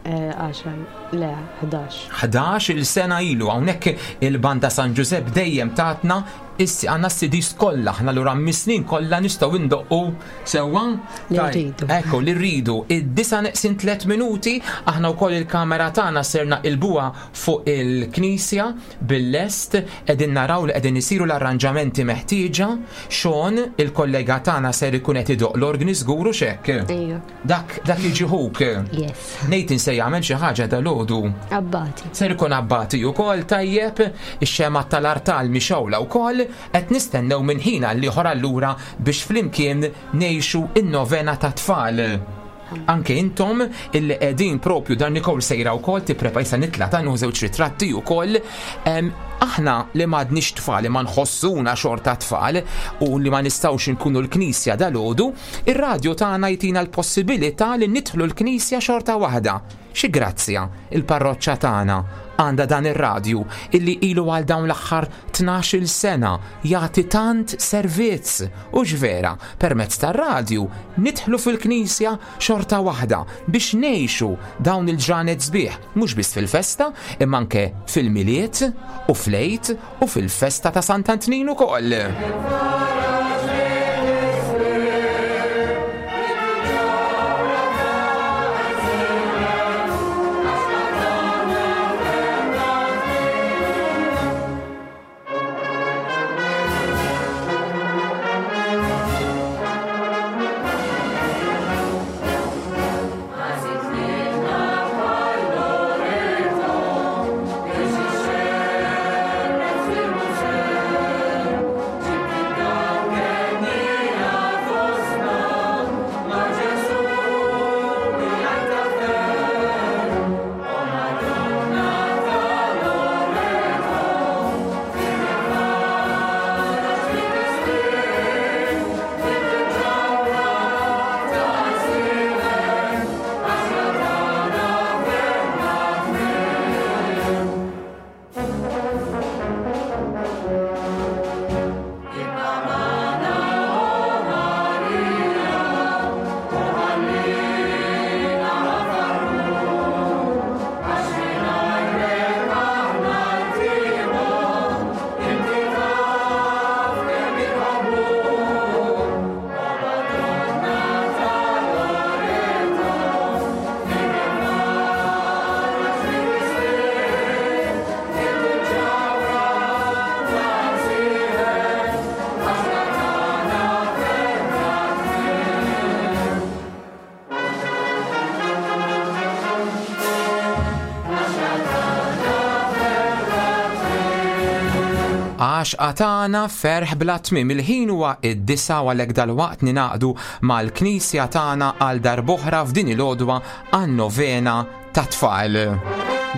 Eh, għaxar, le, ħdax. Ħdax il-sena ilu, hawnhekk il-banda San Giuseppe dejjem tatna issi għandna s-C Ds kollha, aħna lura mis-snin kollha nistgħu ndoqqu sewwa? Li Taj- rridu. Ekku, li rridu. Id-disa neqsin tliet minuti, aħna wkoll il-kamera tagħna serna il-buha fuq il-knisja bil-lest, qegħdin naraw li qegħdin isiru l-arranġamenti meħtieġa. Sean, il-kollega tagħna ser ikun qed idoq l-organi żgur u x'hekk. Ejja. Dak, dak jiġi ħuk. Yes. Nathan se jagħmel xi ħaġa dalgħodu. Abbati. Ser ikun abbati wkoll, tajjeb, ix-xema tal-artal mixgħula wkoll, qed nistennew minn ħin għal ieħor allura biex flimkien ngħixu in-novena ta' tfal. Anke intom illi qegħdin propju dan Nicole sejra wkoll tipprepa jista' nitla' ta' nieħu żewġ ritratti wkoll. Em, aħna li m'għadniex tfal, li ma nħossuna xorta tfal u li ma nistgħux inkunu l-knisja dalgħodu, ir-radju tagħna jtina l-possibilità li nidħlu l-knisja xorta waħda. Xi grazzja il-parroċċa tagħna għandha dan ir-radju illi ilu għal dawn l-aħħar tnax-il sena jagħti tant servizz. U x'vera, permezz tar-radju nidħlu fil-knisja xorta waħda biex ngħixu dawn il-ġranet sbieħ, mhux biss fil-festa, imma anke fil-Milied u fl-Għid u fil-festa ta' Sant'Antnin ukoll. Għax għatana ferħ bla tmiem. Il-ħin huwa id-disa u għalhekk dalwaqt ninaqdu mal-knisja tagħna għal darb'oħra f'din il-għodwa għan-novena ta' tfal.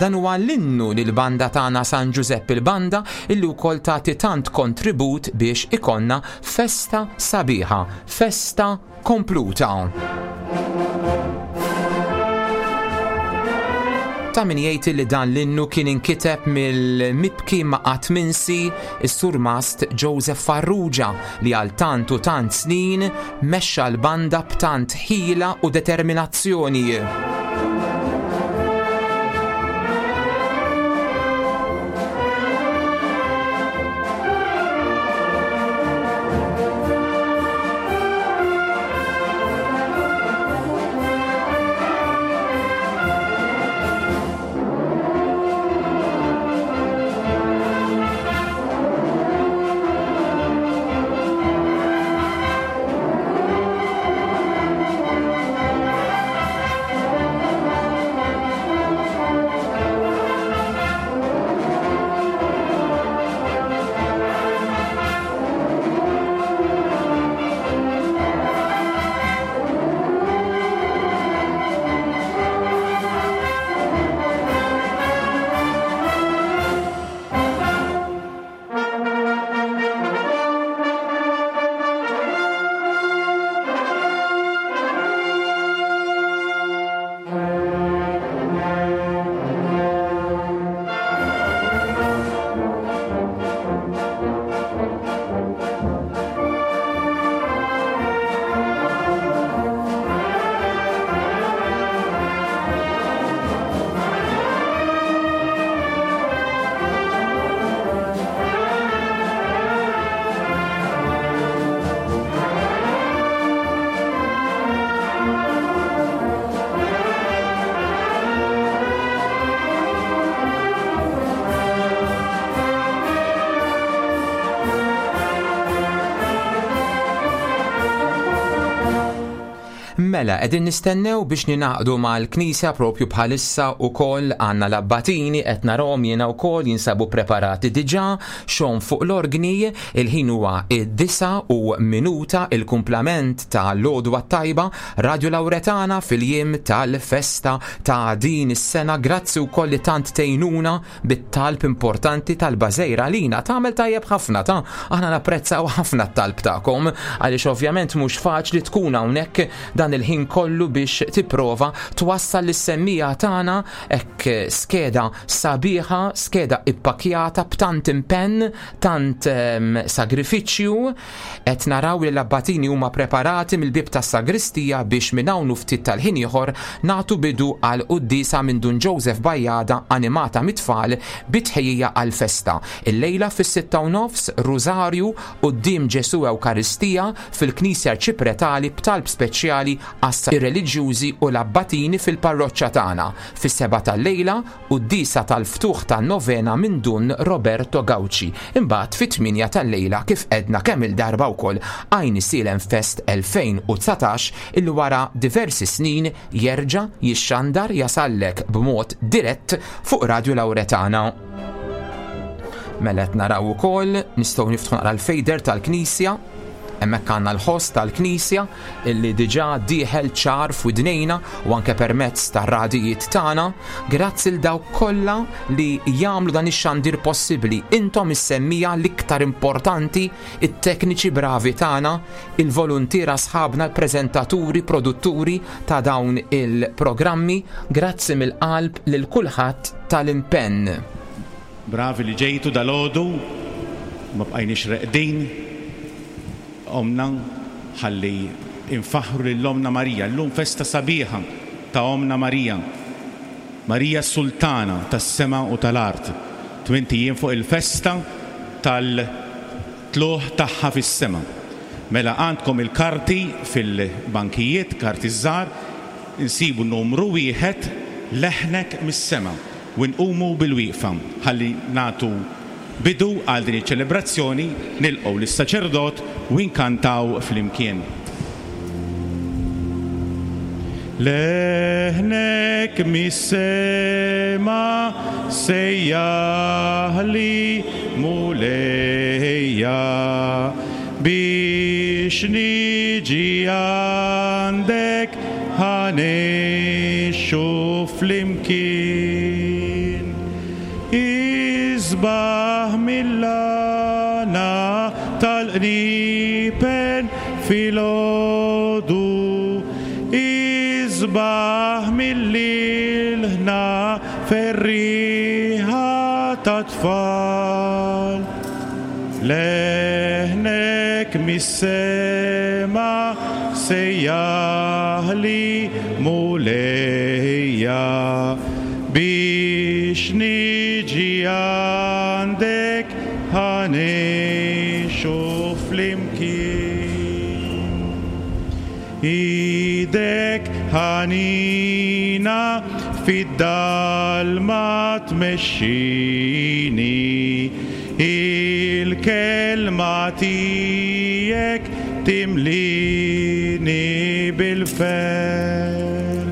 Dan huwa l-innu lil banda tagħna San Giuseppe il-Banda illi wkoll tagħti tant kontribut biex ikonna festa sabiħa, festa kompluta. Ta' min jgħid li dan l-innu kien inkiteb mill-mibki ma' qatt minsi is-surmast Joseph Farrugia li għal tant u tant snin mexxa l-banda b'tant ħila u determinazzjoni. Mela, qegħdin nistennew biex ninaqdu mal-Knisja propju bħalissa ukoll għandna l-abbatini qed narahom jiena wkoll jinsabu preparati diġà xogħol fuq l-orgni, il-ħin huwa id-disa u minuta il-kumplament ta' l-għodwa tajba Radio Lauretana fil-jiem tal-festa ta' din is-sena. Grazzi wkoll li tant tgħinuna bit-talb importanti tal-bażejra lina tagħmel tajjeb ħafna ta' aħna napprezzaw ħafna t-talb tagħkom għaliex ovvjament mhux faċli tkun hawnhekk dan il-ħin kollu biex tipprova twassal lis-semmija tagħna hekk skeda sabiħa, skeda ippakjata b'tant impenn, tant um, sagrifiċċju. Qed naraw li l-abbatini huma preparati mill-bieb tas-sagristija biex minn hawn u ftit tal-ħin ieħor nagħtu bidu għal quddiesa minn Dun Joseph Bajjada animata mit-tfal bi tħejjija għall-festa. Illejla fis-sitta u nofs Rużarju quddiem Ġesu Ewkaristija fil-Knisja Arċipretali b'talb speċjali għas ir-reliġjużi u l-abbatini fil-parroċċa tagħna. Fis-seba tal-lejla quddiesa tal-ftuħ tan-novena minn Dun Roberto Gauci. Imbagħad fit-tminja tal-lejla kif edna kemm il-darba wkoll Għajnsielem Fest elfejn u dsatax illi wara diversi snin jerġa' jixxandar jasallek b'mod dirett fuq Radio Lauretana. Mela qed naraw ukoll nistgħu niftħu naqra l-fejder tal-Knisja. Hemmhekk għandna l-ħoss tal-Knisja illi diġà dieħel ċar f'widnejna u anke permezz tar-radijiet tagħna. Grazzi l dawk kollha li jagħmlu dan ix-xandir possibbli. Intom is-semmija l-iktar importanti, it-tekniċi bravi tagħna, il-voluntiera sħabna, l-preżentaturi, produtturi ta' dawn il-programmi. Grazzi mill-qalb lil kulħadd tal-impenn. Bravi li ġejtu dal-għodu, ma bqajniex reqdin. Omna ħalli infaħru lil Omna Marija. Llum festa sabiħa ta' Omna Marija. Marija Sultana tas-sema u tal-art. Tmint ijiem fuq il-festa tal-tluħ tagħha fis-sema. Mela għandkom il-karti fil-bankijiet, karti żgħar, insibu numru wieħed leħnek mis-sema u nqumu bil-wieqfa ħalli nagħtu bidu għal din iċ-ċelebrazzjoni, nilqgħu lis-saċerdot u nkantaw flimkien. Leħnek mis-sema sejjaħli Mulejja biex niġi għandek ħanexxu flimkien. Isbaħ mill-għana tal-qnipen filgħodu, isbaħ mill-ilħna Ferriħa ta' tfal. Leħnek mis-sema sejjaħli Mulejja biex niġi għandek ħa ngħixu flimkien. Idek ħanina fid-dalma tmexxini, il-kelma tiegħek timlini bil-ferħ.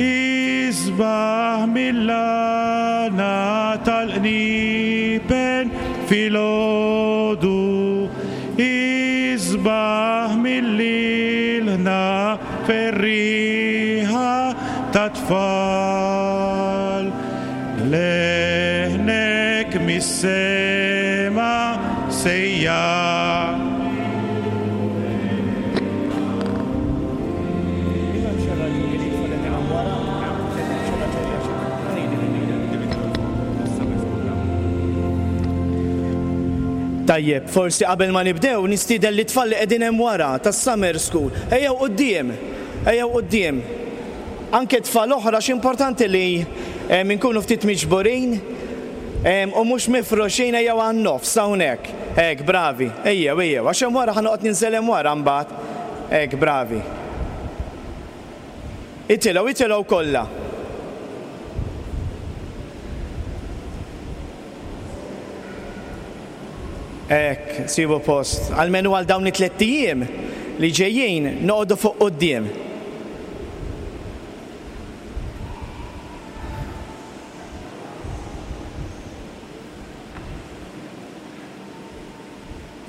Isbaħ mill-għana tal-qniepen filgħodu, isbaħ mill-ilħna ferriħa ta' tfal. Leħnek mis-sema sejjaħ. Tajjeb, forsi qabel ma nibdew nistieden lit-tfal li qegħdin hemm wara tas-summer school. Ejjew quddiem, ejjew quddiem. Anke tfal oħra x'importanti li inkunu ftit miġburin u mhux mifruxin, ejjew għan-nofs hawnhekk. Hekk, bravi, ejjew, ejjew, għax hemm wara ħa noqgħod ninżel hemm wara mbagħad. Hekk, bravi. Itilgħu, itilgħu kollha. Hekk, sibu post. Almenu għal dawn it-tliet ijiem li ġejjin noqogħdu fuq quddiem.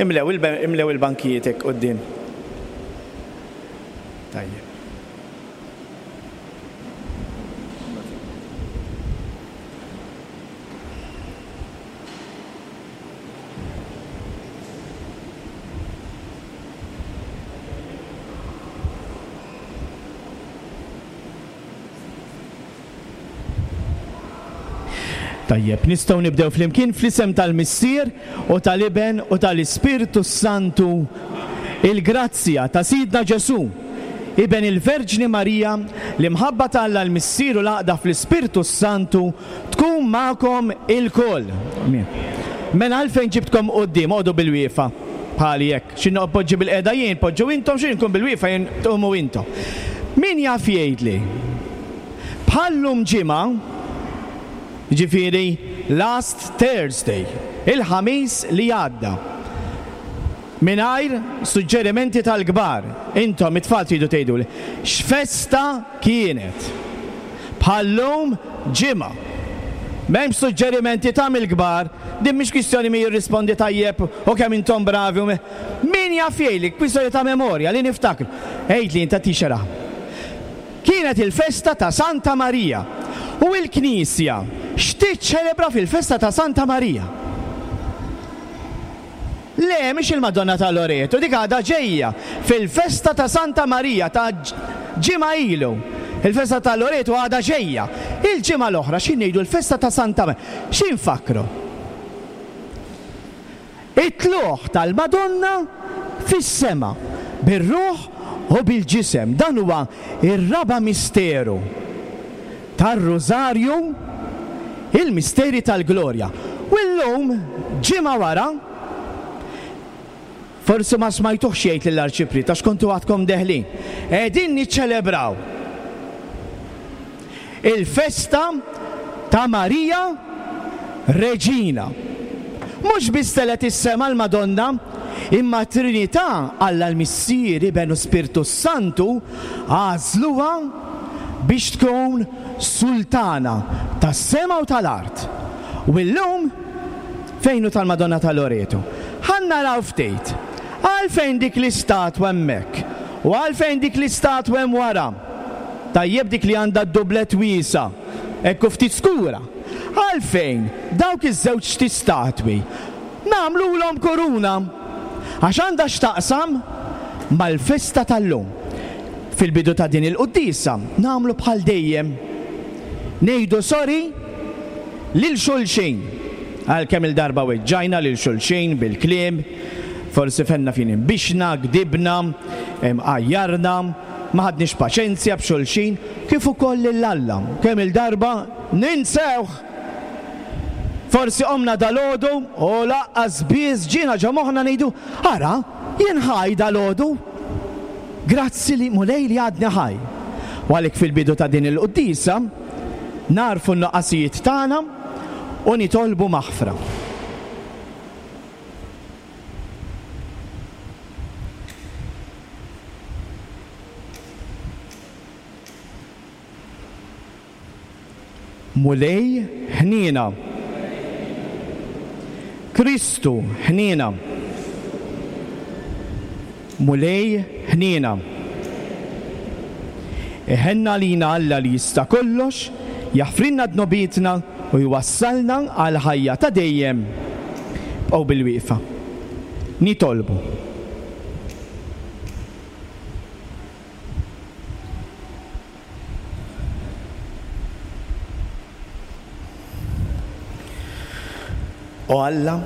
Imlew imlew il-bankijiet hekk quddiem. Tajjeb. Tajjeb, nistgħu nibdew flimkien fl-isem tal-Missier u tal-Iben u tal-Ispirtu Santu. Il-grazzja ta' Sidna Ġesù, Iben il-Verġni Marija, l-imħabba ta' Alla l-Missier u l-għaqda fl-Ispirtu Santu tkun magħkom ilkoll. Mela għalfejn ġibtkom quddiem, oqogħdu bil-wieqfa bħali hekk. Xi poġġi bil-qiegħda jien, poġġu intom, xi nkun bil-wieqfa jien tqumu intom. Min jaf jgħidli? Bħallum ġimgħa, ġifieri last Thursday, il-ħamis li għadda. Mingħajr suġġerimenti tal-kbar, intom it-tfal tridu tgħiduli, x'festa kienet? Bħallum ġimgħa. M'hemmx suġġerimenti ta' mill-kbar, din mhix kwistjoni min jirrispondi tajjeb u kemm intom bravi u min jaf jgħidli, kwistjoni ta' memorja li niftakru. Għidli inta tixera. Kienet il-festa ta' Santa Marija. U l-Knisja x'tiċċelebra fil-festa ta' Santa Marija? Le, mhix il-Madonna ta' Loreto, dik għadha ġejja fil-festa ta' Santa Marija ta' ġimgħa ilu. Il-festa ta' Loreto għadha ġejja. Il-ġimgħa l-oħra x'in ngħidu l-festa ta' Santa Marija? X'infakru? It-tluħ tal-Madonna fis-sema bir-ruħ u bil-ġisem. Dan huwa ir-raba' misteru tar-Rużarju, il-misteri tal-glorja. U llum, ġimgħa wara, forsi ma smajtuhx jgħid lill-Arċipriet għax kontu għadkom deħlin, qegħdin niċċelebraw il-festa ta' Marija Reġina. Mhux biss telet is-sema l-Madonna, imma Trinità, Alla l-Missier, Iben u Spirtu Santu, għażluha biex tkun sultana tas-sema u tal-art. U llum fejn hu tal-Madonna ta' Loreto? Ħa naraw ftit. Għalfejn dik l-istatwa hemmhekk u għalfejn dik l-istatwa hemm wara. Tajjeb dik li għandha d-dublet wiesa, hekk u ftit skura. Għalfejn dawk iż-żewġ statwi nagħmlulhom kuruna? Għax għandha x'taqsam mal-festa tal-lum. Fil-bidu ta' din il-quddiesa nagħmlu bħal dejjem. Ngħidu sorry lil xulxin. Għalkemm il-darba weġġajna lil xulxin bil-kliem, forsi fenna fin imbixna, gdibna, għajjarna, ma ħadniex paċenzja b'xulxin, kif ukoll lil Alla. Kemm il-darba ninsewh. Forsi qomna dalgħodu u laqqas biss ġiena ġo moħħna ngħidu, ara, jien ħaj dalgħodu. Grazzi li Mulej li għadni ħaj. U għalhekk fil-bidu ta' din il-quddiesa narfu n-nuqqasijiet tagħna u nitolbu maħfra. Mulej ħniena. Kristu ħniena. Mulej ħniena. Iħenna lina Alla li jista' kollox, jaħfrilna dnubietna u jwassalna għal ħajja ta' dejjem. Bqgħu bil-wieqfa. Nitolbu. O Alla,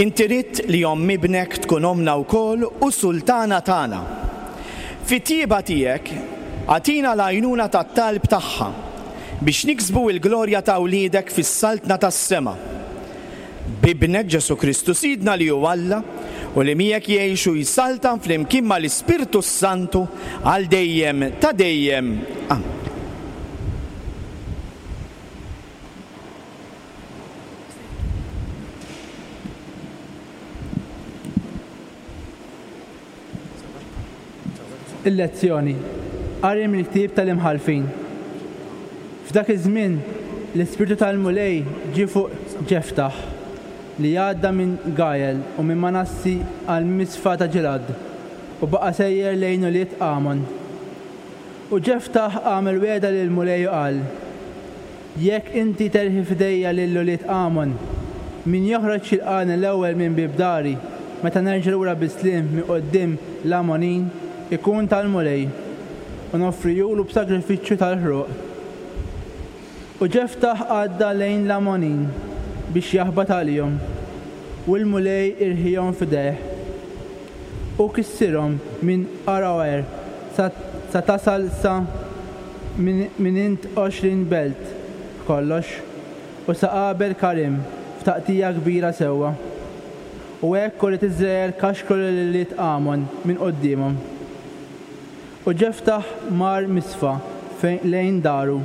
inti ridt li omm ibnek tkun omna wkoll u sultana tagħna. Fit-tjieba tiegħek agħtina l-għajnuna tat-talb tagħha biex niksbu l-glorja ta' wliedek fis-saltna tas-sema. B'ibnek Ġesù Kristu Sidna li hu Alla u li miegħek jgħix u jsaltan flimkien mal-Ispirtu Santu għal dejjem ta' dejjem. Amen. Il-lezzjoni. Qari mill-ktieb tal-Imħallfin. F'dak iż-żmien l-Ispirtu tal-Mulej ġie fuq Ġeftaħ li għadda minn Gajel u minn Manassi għal Misfa ta' Ġilad u baqa' sejjer lejn ulied Amon. U Ġeftaħ għamel wegħda lil Mulej u qal: Jekk inti terħi f'idejja lil ulied Amon, min joħroġ jilqagħni l-ewwel minn bieb dari meta nerġa' lura bis-sliem minn quddiem l-Amonin ikun tal-Mulej, u noffrijulu b'sagrifiċċju tal-ħruq. U Ġeftaħ għadda lejn l-Amonin biex jaħbat għalihom, u l-Mulej irħihom f'idejh. U kissirhom minn Aroer sa tasal sa minn int għoxrin belt b'kollox, u sa Abel Karim f'taqtija kbira sewwa. U hekk ulied Iżrael kaxkru lil ulied Amon minn quddiemhom. U Ġeftaħ mar Misfa lejn daru,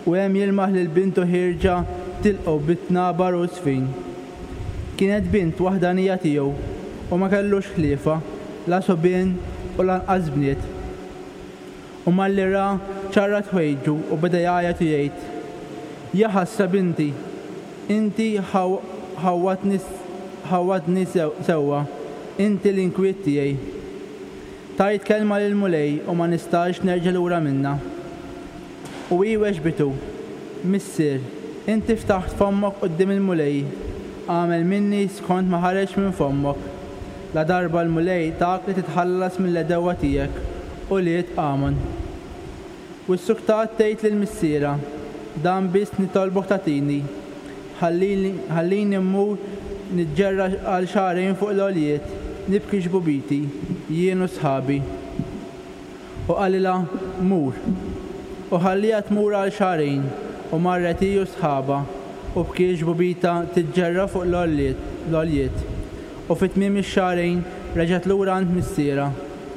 u hemm jilmaħ lil bintu ħierġa tilqgħu bit-tnabar u sfin. Kienet bint waħdanija tiegħu u ma kellux ħliefa, la subien u lanqas bniet. U malli ra ċarrat ħwejġu u beda jgħajjat u jgħid: Ja ħasra binti, inti ħawwadtni sewwa, inti l-inkwiet tiegħi. Tajt kelma lil Mulej u ma nistax nerġa' lura minnha. U hi weġbitu: Missier, inti ftaħt fommok quddiem il-Mulej, għamel minni skont ma ħareġ minn fommok. La darba l-Mulej tak li titħallas mill-għedewwa tiegħek u liet Amon. U s-suktat tgħid lil missiera: Dan biss nitolbok tagħtini, ħallini mmur niġġerra għal xahrejn fuq l-għoljiet, nibki xbubiti, jien u sħabi. U qalilha: Mur. U ħallija tmur għal xahrejn, u marret hi u sħaba, u bkiet xbubita tiġġerra fuq l-għoljiet. U fi tmiem ix-xahrejn reġgħet lura għand missiera,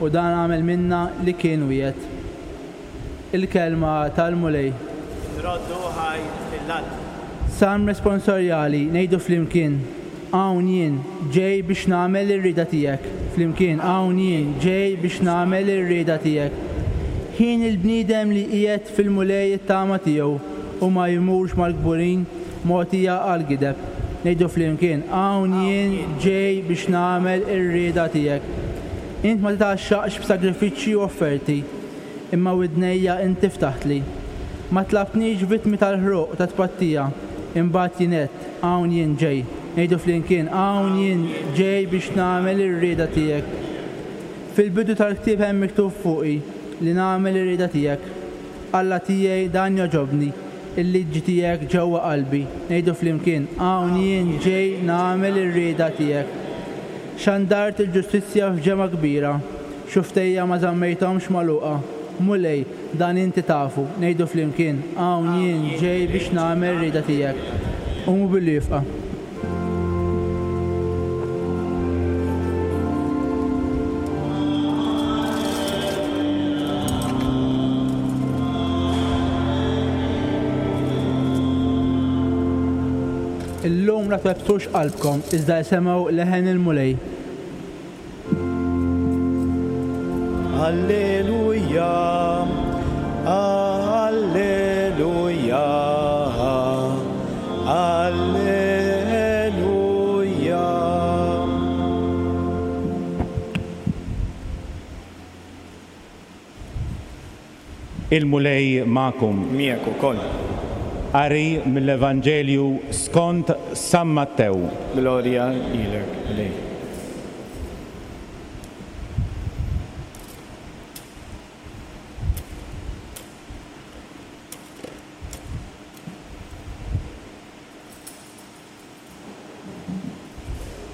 u dan għamel minna li kien wiegħed. Il-kelma tal-Mulej. Nroddu ħaj lil Alla. Salm responsorjali ngħidu flimkien: Hawn jien ġej biex nagħmel ir-rieda tiegħek. Flimkien: hawn jien ġej biex nagħmel ir-rieda tiegħek. Ħin il-bniedem li qiegħed fil-Mulej it-tama tiegħu u ma jmurx mal-kburin mogħtija għal gideb. Ngħidu flimkien: hawn jien ġej biex nagħmel ir-rieda tiegħek. Int ma titgħaxxaqx b'sagrifiċċji u offerti, imma widnejja inti ftaħtli. Ma tlabtnix vittmi tal-ħruq ta' tpattija, imbagħad jien għedt: hawn jien ġej. Ngħidu flimkien: hawn jien ġej biex nagħmel ir-rieda tiegħek. Fil-bidu tal-ktieb hemm miktub fuqi li nagħmel ir-rieda tiegħek. Alla tiegħi dan jogħġobni, il-liġi tiegħek ġewwa qalbi. Ngħidu flimkien, hawn jien ġej nagħmel ir-rieda tiegħek. Xandart il-ġustizzja f'ġemgħa kbira, xufftejja ma żammejthomx magħluqa. Mulej, dan inti tafu, ngħidu flimkien, hawn jien ġej biex nagħmel ir-rieda tiegħek. Qumu bilwieqfa. Illum la twebbsux qalbkom, iżda isimgħu leħen il-Mulej. Alleluja, Alleluja, Alleluja. Il-Mulej magħkom. Miegħek ukoll. Qari mill-Evanġelju skont San Mattew. Glorja lilek, Mulej.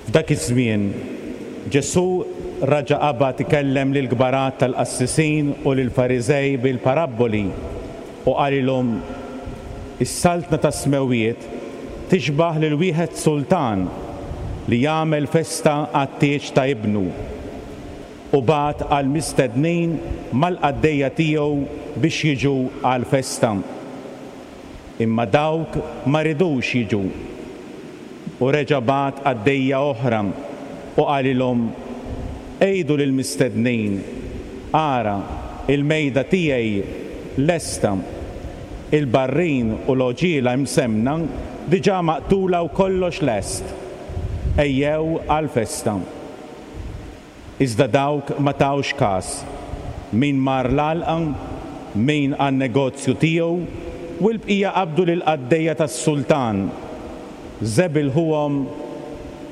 F'dak iż-żmien Ġesù raġa' qabad ikellem lill-kbarat tal-qassisin u lill-Fariżej bil-parabboli u qalilhom: Is-saltna tas-smewwiet tixbah lil wieħed sultan li jagħmel festa għat-tieġ ta' ibnu u bagħat għal mistednin mal-qaddejja tiegħu biex jiġu għall-festa. Imma dawk ma ridux jiġu. U reġa' bagħat qaddejja oħra u qalilhom: Għidu lill-mistednin, ara, il-mejda tiegħi lesta, il-barrin u l-għoġiela imsemmna diġà maqtula u kollox lest. Ejjew għall-festa. Iżda dawk ma tawx każ, min mar l-għalqa, min għan-negozju tiegħu, u l-bqija qabdu lill-qaddejja tas-sultan, żebilħuhom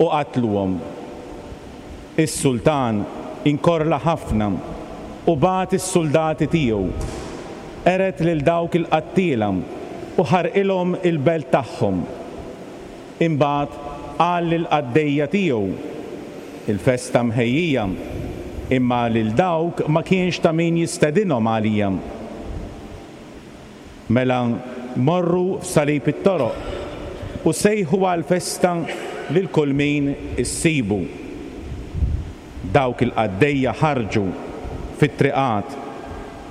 u qatluhom. Is-sultan inkorla ħafna u bagħat is-suldati tiegħu, qered lil dawk il-qattiela u ħarqilhom il-belt tagħhom. Imbagħad qal lill-qaddejja tiegħu: Il-festa mħejjija, imma lil dawk ma kienx ta' min jistedinhom għalija. Mela morru f'salib it-toroq u sejħu għall-festa lil kull min issibu. Dawk il-qaddejja ħarġu fit-triqat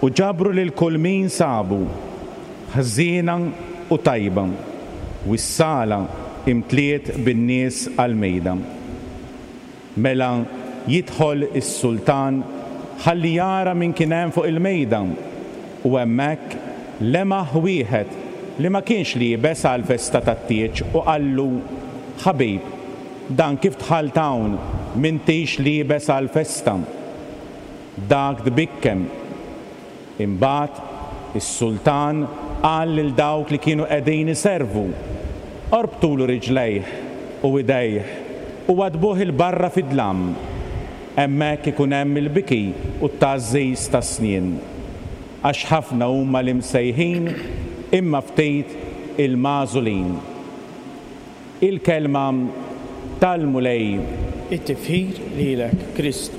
u ġabru lil kull min sabu, ħżiena u tajba, u s-sala imtliet bin-nies għall-mejda. Mela jidħol is-sultan ħalli jara min kien hemm fuq il-mejda, u hemmhekk lemaħ wieħed li ma kienx liebes għall-festa tat-tieġ u qallu: Ħabib, dan kif dħalt hawn m'intix liebes għall-festa? Dak tbikkem. Imbagħad is-sultan qal lil dawk li kienu qegħdin iservu: Orbtulu riġlejh u idejh u għadbuh il-barra fid-dlam. Hemmhekk ikun hemm il-biki u t-tgħażżiż tas-snien. Għax ħafna huma l-imsejħin imma ftit il-magħżulin. Il-kelma tal-Mulej. It-tifħir lilek, Kristu.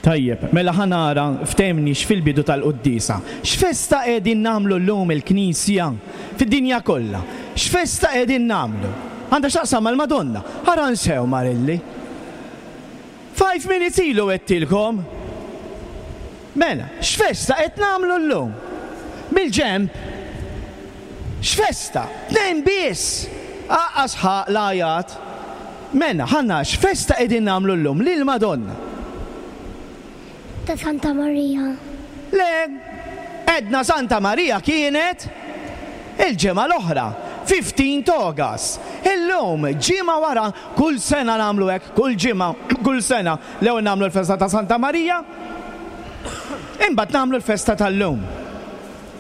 Tajjeb, mela ħa nara ftemniex fil-bidu tal-quddiesa. X'festa qegħdin nagħmlu llum il-Knisja fid-dinja kollha? X'festa qegħdin nagħmlu? Għandha x'taqsam mal-Madonna. Ara nsew Marilli. Five minutes ilu għedtilkom. Mela, x'festa qed nagħmlu llum? Mill-ġenb. X'festa? Tnejn biss. Aqqas ħaq l-għajat. Mela, ħanna x'festa qegħdin nagħmlu llum lil Madonna? Ta' Santa Maria. Le, edna Santa Maria kienet il-ġimgħa l-oħra, fifteenth August. Illum, ġimgħa wara, kull sena nagħmlu hekk, kull ġimgħa, kull sena, l-ewwel nagħmlu l-festa ta' Santa Maria, imbagħad nagħmlu l-festa tal-lum.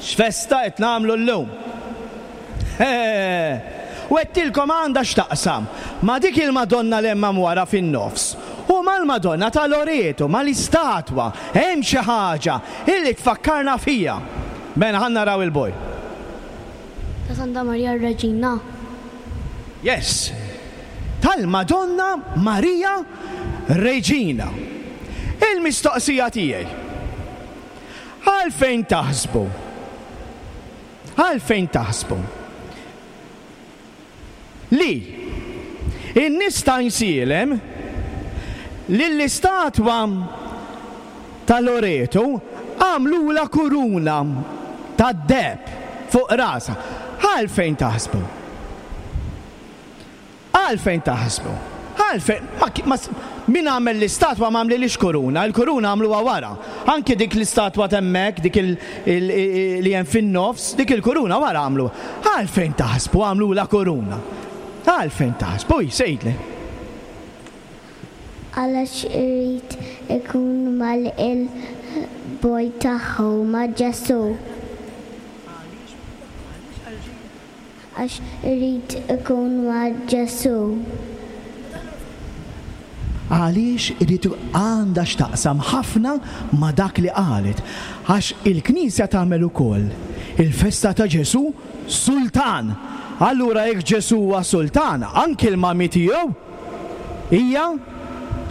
X'festa qed nagħmlu llum? U għedtilkom għandha x'taqsam ma' dik il-Madonna li hemm wara fin-nofs u ma' Mal-Madonna ta' Loreto, mal-istatwa, hemm xi ħaġa illi tfakkarna fija. Mela ħa naraw il-boy. Ta' Santa Maria Reġina. Yes. Tal-Madonna Maria Reġina. Il-mistoqsija tiegħi. Għalfejn taħsbu? Għalfejn taħsbu? Li in-nies ta' Għajnsielem lill-istatwa ta' Loreto għamlula kuruna tad-deheb fuq rasha. Għalfejn taħsbu? Għalfejn taħsbu? Għalfejn, ma, ma, min għamel l-istatwa ma għamlilix kuruna, il-kuruna għamluha wara. Anki dik l-istatwa t'hemmhekk, dik il, il, il, li hemm fin-nofs, dik il-kuruna wara għamlu. Għalfejn taħsbu għamlula kuruna? Għalfejn taħsbu, sejtli. Għalax irid ikun mal il-boy tagħhu ma' Ġesu. Għax irid ikun ma' Ġesu. Għaliex irid għandha x'taqsam ħafna ma' dak li qalet. Għax il-Knisja tagħmel ukoll il-festa ta' Ġesu Sultan. Allura jekk Ġesu huwa sultan, anki l-mami tiegħu hija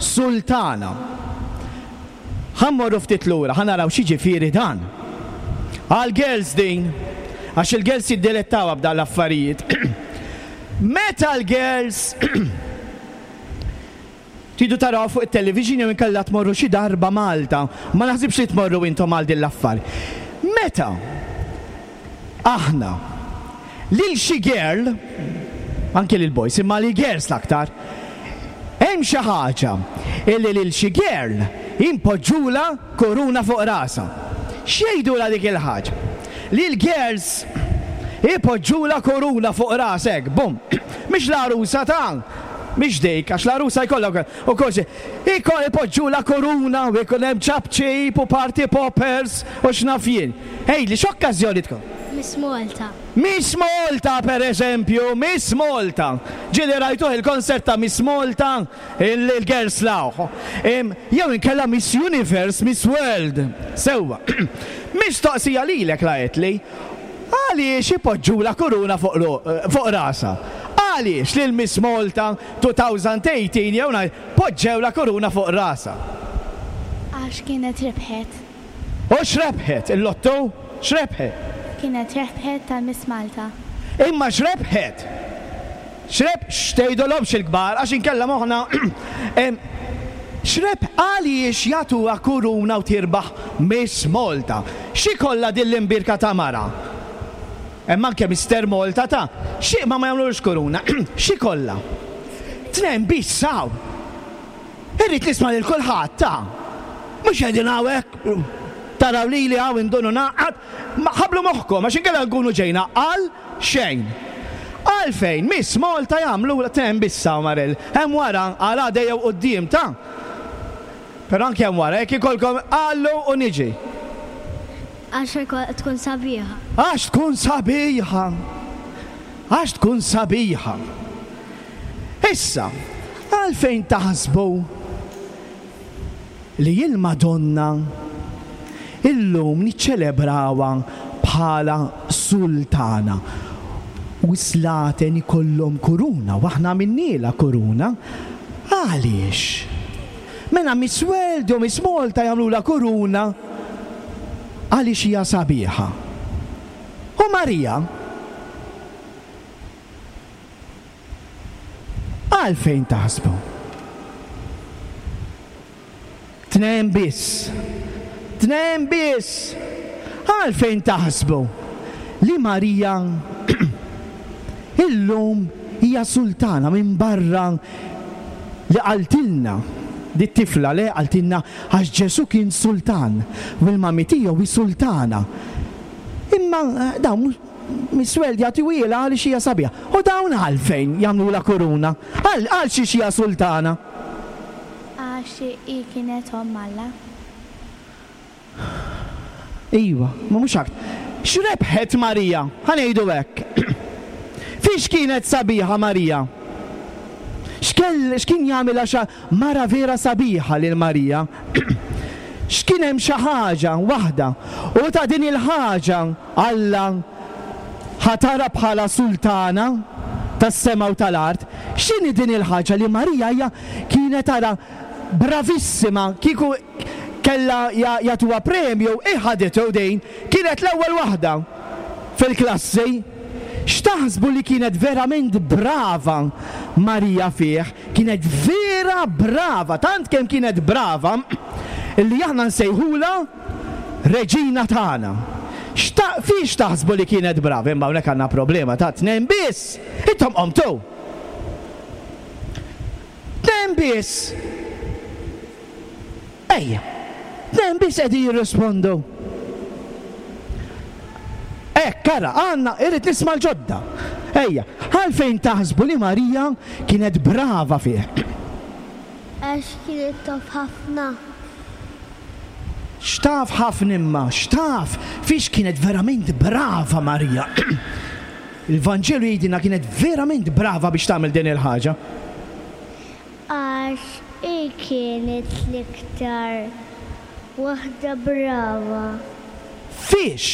sultana. Ħa mmorru ftit lura, ħa naraw x'jiġifieri dan. Għal girls din, għax il-girls jiddilettaw b'dan l-affarijiet. Meta l-girls tridu taraw fuq it-television jew inkella tmorru xi darba Malta, ma naħsibx li tmorru intom għal din l-affari. Meta aħna lil xi girl, anke lil boys, imma lil girls l-aktar, hemm xi ħaġa illi lil xi girl impoġġula kuruna fuq rasha. X'jgħidula dik il-ħaġa? Li l-girls ipoġġula kuruna fuq rasek, bum. Mhix l-għarusa ta' mhix dik, għax l-għarusa jkollha u kollox. Ipoġġula kuruna u jkun hemm ċapċip u party poppers u x'naf jien. Ejli, x'okkażjoni tkun? Miss Malta. Miss Malta, per eżempju, Miss Malta. Ġieli rajtuh il-konsert ta' Miss Malta, il-girls lawħ. Jew inkella Miss Universe, Miss World. Sewwa. Mistoqsija lilek laqgħetli. Għaliex ipoġġula kuruna fuq fuq rasha? Għaliex lil Miss Malta twenty eighteen jew poġġew la kuruna fuq rasha? Għax kienet rebħet. U x'rebħet? Il-lotto? X'rebħet? Kienet rebħet tal-Miss Malta. Imma x'rebħet? X'reb x'tgħidulhomx il-kbar għax inkella moħħna x'reb għaliex jagħtuha kuruna u tirbaħ Miss Malta? X'ikollha din l-imbirka ta' mara? Hemm anke Mister Malta ta' xi ma ma jagħmlux kuruna. X'ikollha? Tnejn biss hawn. Irrid nisma' lil kulħadd ta' mhux qegħdin hawnhekk taraw lili hawn indunu naqgħad, ma ħablu moħħkom għax inkella nkunu ġejna għal xejn. Għalfejn Miss Malta jagħmlu tnejn biss hawn Marel. Hemm wara għal għada jew quddiem ta' Però anke hemm wara jekk ikolkom għallu u niġi. Għax tkun sabiħa. Għax tkun sabiħa. Għax tkun sabiħa. Issa, għalfejn taħsbu li il-Madonna illum niċċelebrawha bħala sultana? U slaten ikollhom kuruna, u aħna għamilnielha kuruna. Għaliex? Mela Miss World u Miss Malta jagħmlula kuruna għaliex hija sabiħa. U Marija għalfejn taħsbu? Tnejn biss. Tnejn biss. Għalfejn taħsbu li Marija illum hija sultana minn barra li qaltilna di tifla li qaltilna għax Ġesu kien sultan u l-mami tiegħu hi sultana. Imma dawn Miss World jagħtiwielha għaliex hija sabiħa. U dawn għalfejn jagħmlula kuruna? Għal għal xiex hija sultana? Għax hi kienet omm Alla. Iva, ma mhux aktar. X'rebħet Marija? Ħa ngħidu hekk. Fiex kienet sabiħa Marija? X'kienet X'kien jagħmilha xa mara vera sabiħa lil Marija? X'kien hemm xi ħaġa waħda u ta' din il-ħaġa Alla ħatara bħala sultana tas-sema u tal-art. X'inhi din il-ħaġa li Marija hija kienet tara bravissima, kieku kellha jagħtuha premju, hi ħaditu din, kienet l-ewwel waħda fil-klassi. X'taħsbu li kienet verament brava Marija fih? Kienet vera brava, tant kemm kienet brava illi aħna nsejħulha reġina tagħna. Xta fiex taħsbu li kienet brava? Imma hawnhekk għandna problema ta' tnejn biss. Intom qomtu. Tnejn biss. Ejja. Tnejn biss qegħdin jirrispondu. Hekk, ara, għandna, irrid nisma' l-ġodda. Ejja, għalfejn taħsbu li Marija kienet brava fih? Għax kienet taf ħafna. X'taf ħafna imma, x'taf fiex kienet verament brava Marija. Il-Vanġelu jgħidilna kienet verament brava biex tagħmel din il-ħaġa. Għax hi kienet l-iktar waħda brava. Fiex?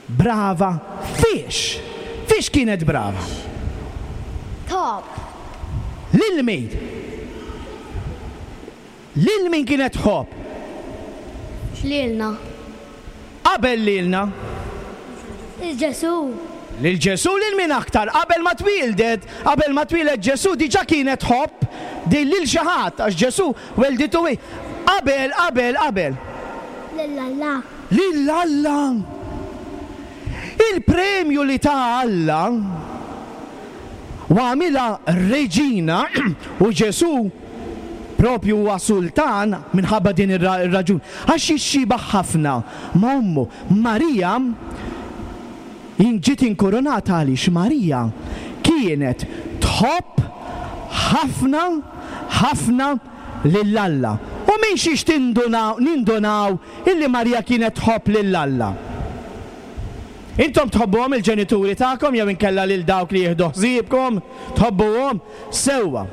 Brava fiex? Fiex kienet brava? Top. Lil min? Lil min kienet tħobb? Lilna. Qabel lilna? Lil Ġesù. Lil Ġesù lil min aktar? Qabel ma twieldet, qabel ma twieled Ġesù diġà kienet tħobb din lil xi ħadd għax Ġesù welditu hi. Qabel, qabel, qabel. Lil Alla. Lil Alla. Il-premju li ta Alla u għamilha reġina u Ġesù propju huwa sultan minħabba din ir-raġun. Għax jixxiebah ħafna ma' ommu. Marija ġiet inkurunata għaliex Marija kienet tħobb ħafna ħafna lil Alla. U minn xiex tindunaw nindunaw illi Marija kienet tħobb lil Alla? Intom tħobbuhom il-ġenituri tagħkom jew inkella lil dawk li jieħdu ħsiebkom, tħobbuhom sewwa.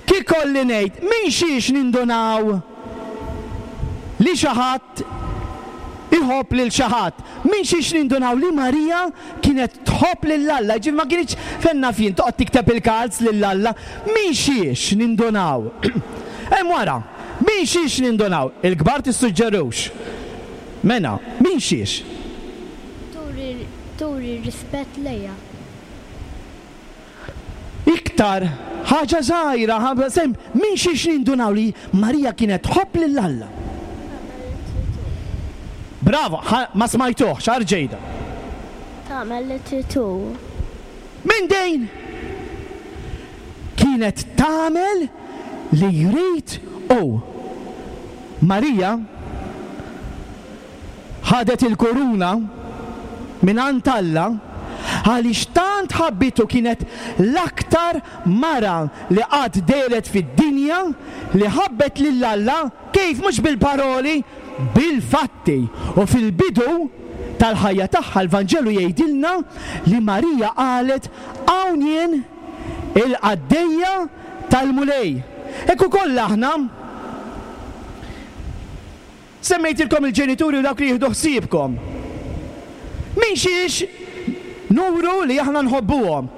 Kif kolli ngħid, minn xiex nindunaw li xi ħadd iħobb lil xi ħadd? Minn xiex nindunaw li Marija kienet tħobb lil Alla? Ġifieri ma kinitx fenna fien toqgħod tikteb il-kalz lil Alla. Minn xiex nindunaw? Hemm wara, minn xiex nindunaw? Il-kbar tissuġġerux. Mena, minn xiex? Turi, turi rispett lejha. Iktar ħaġa żgħira, ħaġa sem, minn xiex nindunaw li Marija kienet tħobb lil Alla? Bravo, ma smajtuhx, arġejda. Tagħmel li trid hu. Minn dejn? Kienet tagħmel li jrid hu. Marija ħadet il-kuruna minn għand Alla għaliex tant ħabbitu, kienet l-aktar mara li qatt dehret fid-dinja li ħabbet lil Alla, kif mhux bil-paroli, bil-fatti. U fil-bidu tal-ħajja tagħha l-Vanġelu jgħidilna li Marija qalet hawn jien il-qaddejja tal-Mulej. Hekk ukoll aħna semmejtilkom il-ġenituri u dawk li jieħdu ħsiebkom. Minn xiex nuru li aħna nħobbuhom?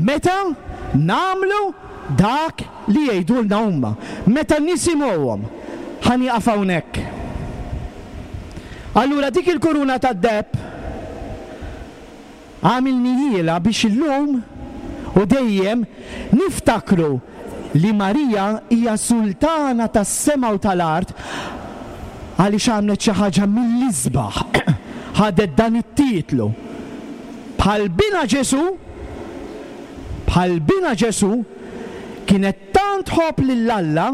Meta nagħmlu dak li jgħidulna huma, meta nisimgħuhom. Ħa nieqaf hawnhekk. Allura dik il-kuruna tad-deheb għamilnihielha biex illum u dejjem niftakru li Marija hija sultana tas-sema u tal-art għaliex għamlet xi ħaġa mill-isbaħ. Ħadet dan it-titlu. Bħal bina Ġesù, bħal bina Ġesù kienet tant tħobb lil Alla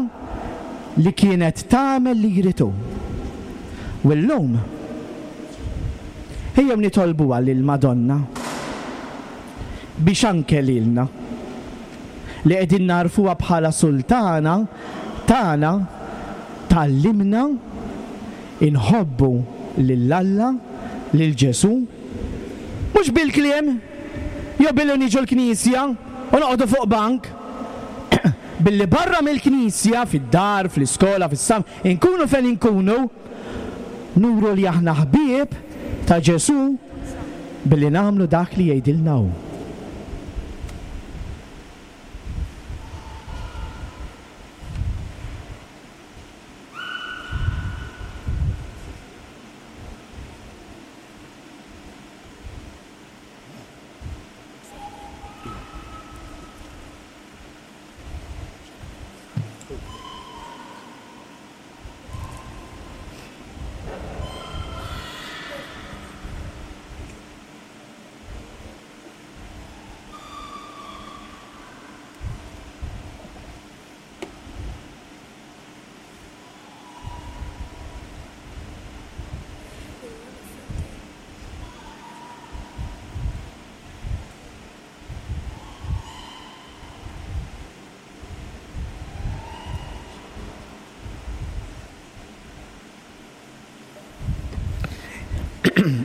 li kienet tagħmel li jrid hu. U llum ejjew nitolbuha lil Madonna biex anke lilna li qegħdin narfuha bħala sultana tagħna tgħallimna inħobbu lil Alla, lil Ġesù, mhux bil-kliem, Jew billi niġu l-knisja u noqogħdu fuq bank? Billi barra mill-knisja, fid-dar, fl-iskola, fis-sam, inkunu fejn inkunu, nuru li aħna ħbieb ta' Ġesù billi nagħmlu dak li jgħidilna hu.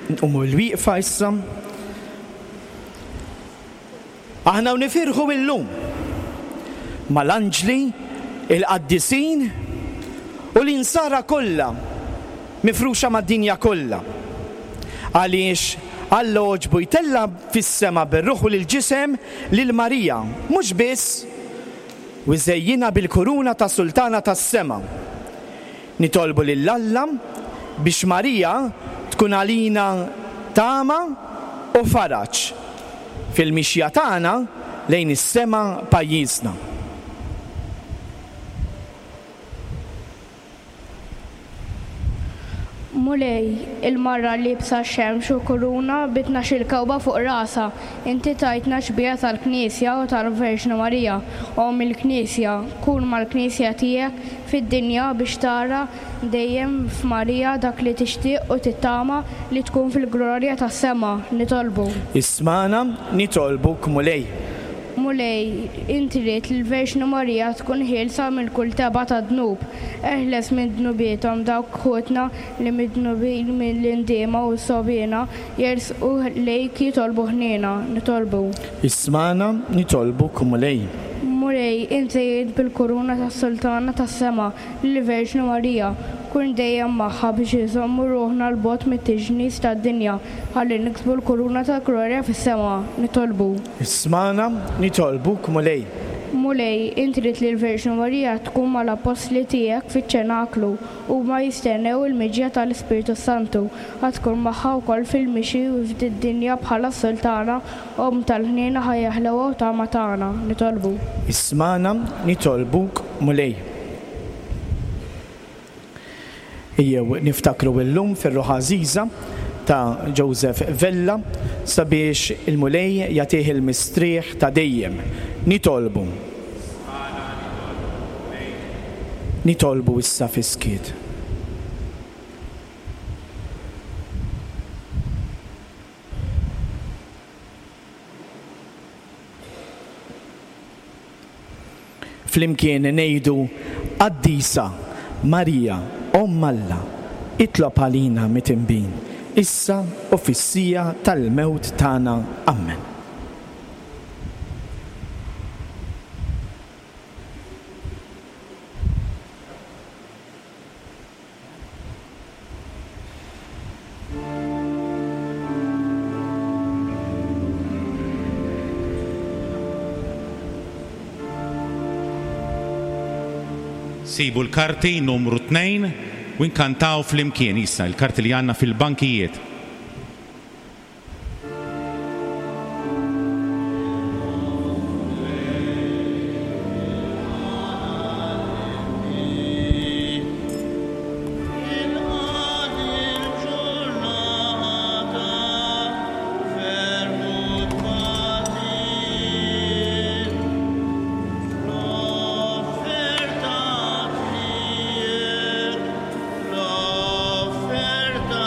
Nqumu l-wieqfa issa. Aħna u nifirħu illum mal-anġli, il-qaddisin u l-insara kollha mifruxa mad-dinja kollha. Għaliex Alla għoġbu jtella' fis-sema bir-ruħ u l-ġisem lil Marija, mhux biss u żejjinha bil-kuruna ta' sultana tas-sema. Nitolbu lil Alla biex Marija tkun għalina tama u faraġ fil-mixja tagħna lejn is-sema pajjiżna. Mulej, il-mara liebsa xemx u kuruna bi tnax-il kewba fuq rasha, inti tajtna xbieha tal-Knisja u tal-Verġni Marija, Omm il-Knisja, kun mal-Knisja tiegħek fid-dinja biex tara dejjem f'Marija dak li tixtieq u tittama li tkun fil-glorja tas-sema. Nitolbu. Ismagħna, nitolbuk Mulej. Mulej, inti ridt li l-Verġni Marija tkun ħielsa minn kull tebgħa ta' dnub. Eħles minn dnubiethom dawk ħutna li midnubin mill-indiema u s-sogħbiena jersqu lejk jitolbu ħniena. Nitolbu. Ismagħna, nitolbuk Mulej. Mulej, inti żejjint bil-kuruna tas-sultana tas-sema lill-Verġni Marija. Kun dejjem magħha biex inżommu ruħna 'l bogħod mit-tiġnis tad-dinja ħalli niksbu l-kuruna tal-glorja fis-sema. Nitolbu. Ismagħna, nitolbuk Mulej. Mulej, inti ridt li l-Verġni Marija tkun mal-appostli tiegħek fiċ-ċenaklu huma jistennew il-miġja tal-Ispirtu Santu. Ħa tkun magħha wkoll fil-mixi u fid-dinja bħala s-sultana, Omm tal-ħniena, ħajja ħlewa u tama tagħna. Nitolbu. Ismagħna, nitolbuk Mulej. Ejjew niftakru illum fir-ruħ għażiża ta' Joseph Vella sabiex il-Mulej jagħtih il-mistrieħ ta' dejjem. Nitolbu. Nitolbu issa fis-skiet. Flimkien ngħidu Qaddisa Marija, Omm Alla, itlob għalina mitinbin, issa u fis-siegħa tal-mewt tagħna. Amen. Sibu l-karti numru tnejn u nkantaw flimkien issa l-karti li għandna fil-bankijiet. L-offerta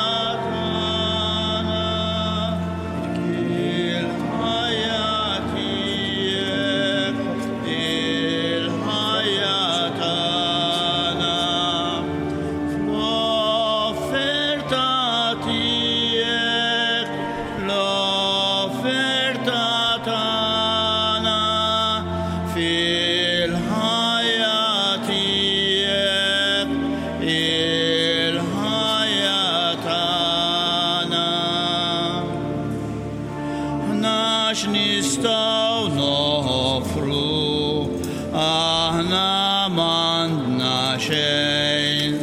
x'nistgħu noffru, aħna m'għandna xejn.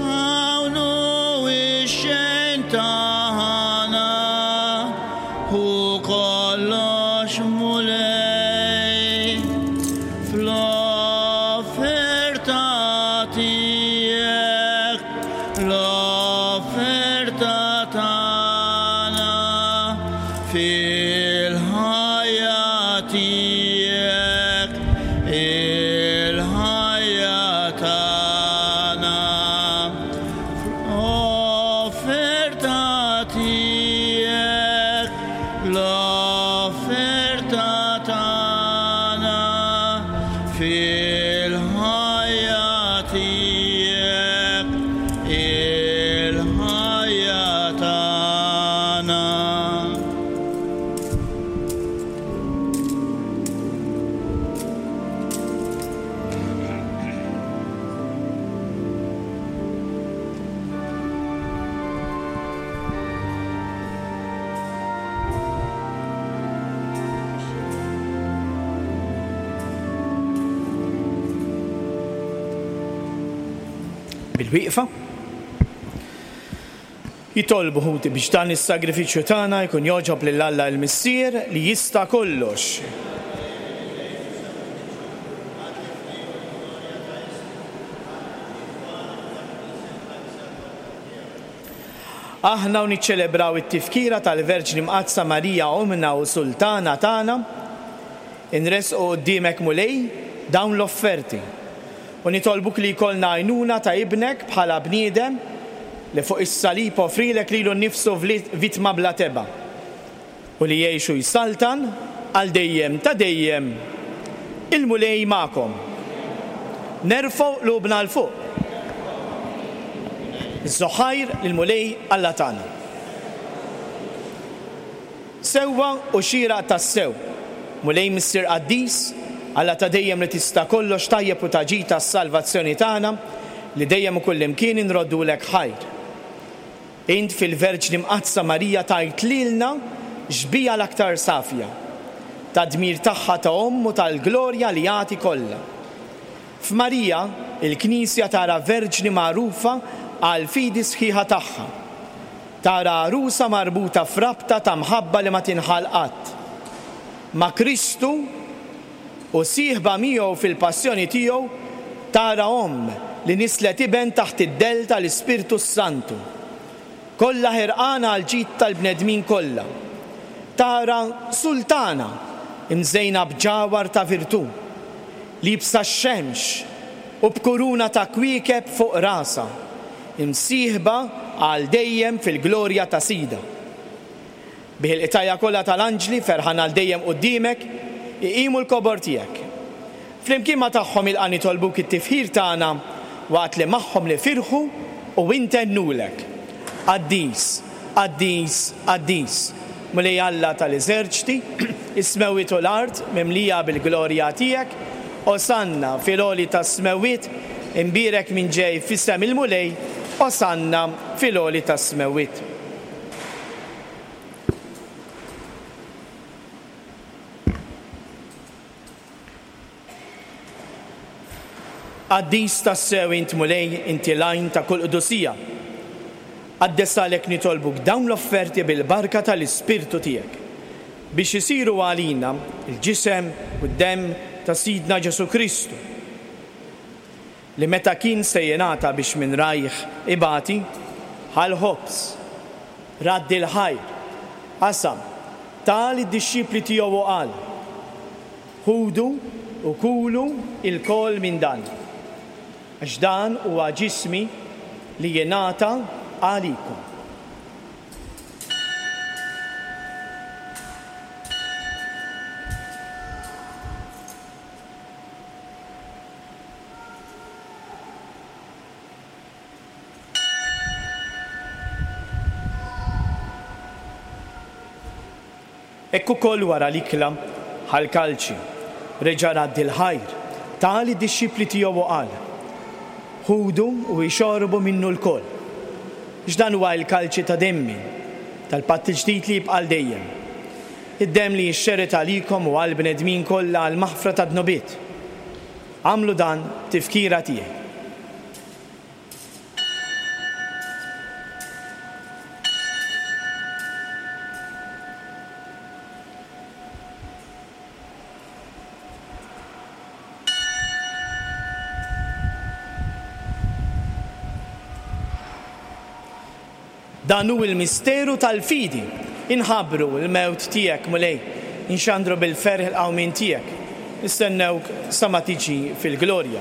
Hawn hu x-xejn tagħna, hu kollox Mulej. Fl-offerta tiegħek, l-offerta tagħna, fil-ħajja tiegħek, il-ħajja tagħna. Offerta tiegħek, l-offerta tagħna, fil-ħajja tiegħek, il-ħajja tagħna. Bil-wieqfa. Jitolbu ħuti biex dan is-sagrifiċċju tagħna jkun jogħġob lil Alla l-Missier li jista' kollox. Aħna u niċċelebraw it-tifkira tal-Verġni Mqaddsa Marija Ommna u Sultana tagħna, inresqu quddiemek Mulej dawn l-offerti u nitolbuk li jkollna għajnuna ta' ibnek bħala bniedem li fuq is-salib offrilek lilu nnifsu vittma bla tebgħa u li jgħixu jsaltan għal dejjem ta' dejjem. Il-Mulej magħkom. Nerfgħu qlubna 'l fuq. Iż-żoħajr lill-Mulej Alla tagħna. Sewwa u xieraq tassew, Mulej Missier Qaddis, Alla ta' dejjem li tista' kollox tajjeb u ta' ġid tas-salvazzjoni tagħna, li dejjem u kullimkien inroddulek ħajr. Int fil-Verġni Mqaddsa Marija tajt lilna xbieha l-aktar safja, ta' dmir tagħha ta' omm u tal-glorja li jagħti kollha. F'Marija, il-Knisja tara Verġni magħrufa għal fidi sħiħa tagħha. Tara għarusa marbuta f'rabta ta' mħabba li ma tinħall qatt. Ma' Kristu u sieħba miegħu fil-passjoni tiegħu tara omm li nislet iben taħt id-dell tal-Ispirtu Santu. Kollha ħerqana għal ġid tal-bnedmin kollha. Tara sultana imżejna b'ġawhar ta' virtù, liebsa x-xemx u b'kuruna ta' kwiekeb fuq rasha, imsieħba għal dejjem fil-glorja ta' Sida. Bih il-qtajja kollha tal-anġli ferħan għal dejjem quddiemek, iqimu l-kobor tiegħek. Flimkien ma tagħhom ilqa' nitolbuk it-tifħir tagħna waqt li magħhom nifirħu u intennulek. Qaddis, qaddis, qaddis, Mulej Alla tal-eżerċti, is-smewwiet u l-art mimlija bil-glorja tiegħek, Osanna fil-għoli tas-smewwiet, imbierek min ġej f'isem il-Mulej, Osanna fil-għoli tas-smewwiet. Qaddis tassew int Mulej, inti l-għajn ta' kull qdusija. Qaddes għalhekk nitolbuk dawn l-offerti bil-barka tal-Ispirtu tiegħek, biex isiru għalina il-ġisem u d-demm ta' Sidna Ġesu Kristu, li meta kien se jingħata biex minn rajh ibati, ħa l-ħobż, radd il-ħajr, qasam, ta lid-dixxipli tiegħu u qal: Ħudu u kulu ilkoll minn dan, għax dan huwa ġismi li jingħata għalikom. Hekk ukoll wara l-ikla ħal kalċi, reġa' radd il-ħajr, ta lid-dixxipli tiegħu u qal: Ħudu u ixorbu minnu lkoll, għax dan huwa l-kalċi ta' demmi, tal-patt il-ġdid li jibqa' għal dejjem. id-demm li jixxerred għalikom u għall-bnedmin kollha għall-maħfra tad-dnubiet. Agħmlu dan b'tifkira tiegħi. Dan hu l-misteru tal-fidi. Inħabbru l-mewt tiegħek, Mulej, inxandru bil-ferħ il-qawmien tiegħek. Nistennewk sa ma tiġi fil-glorja.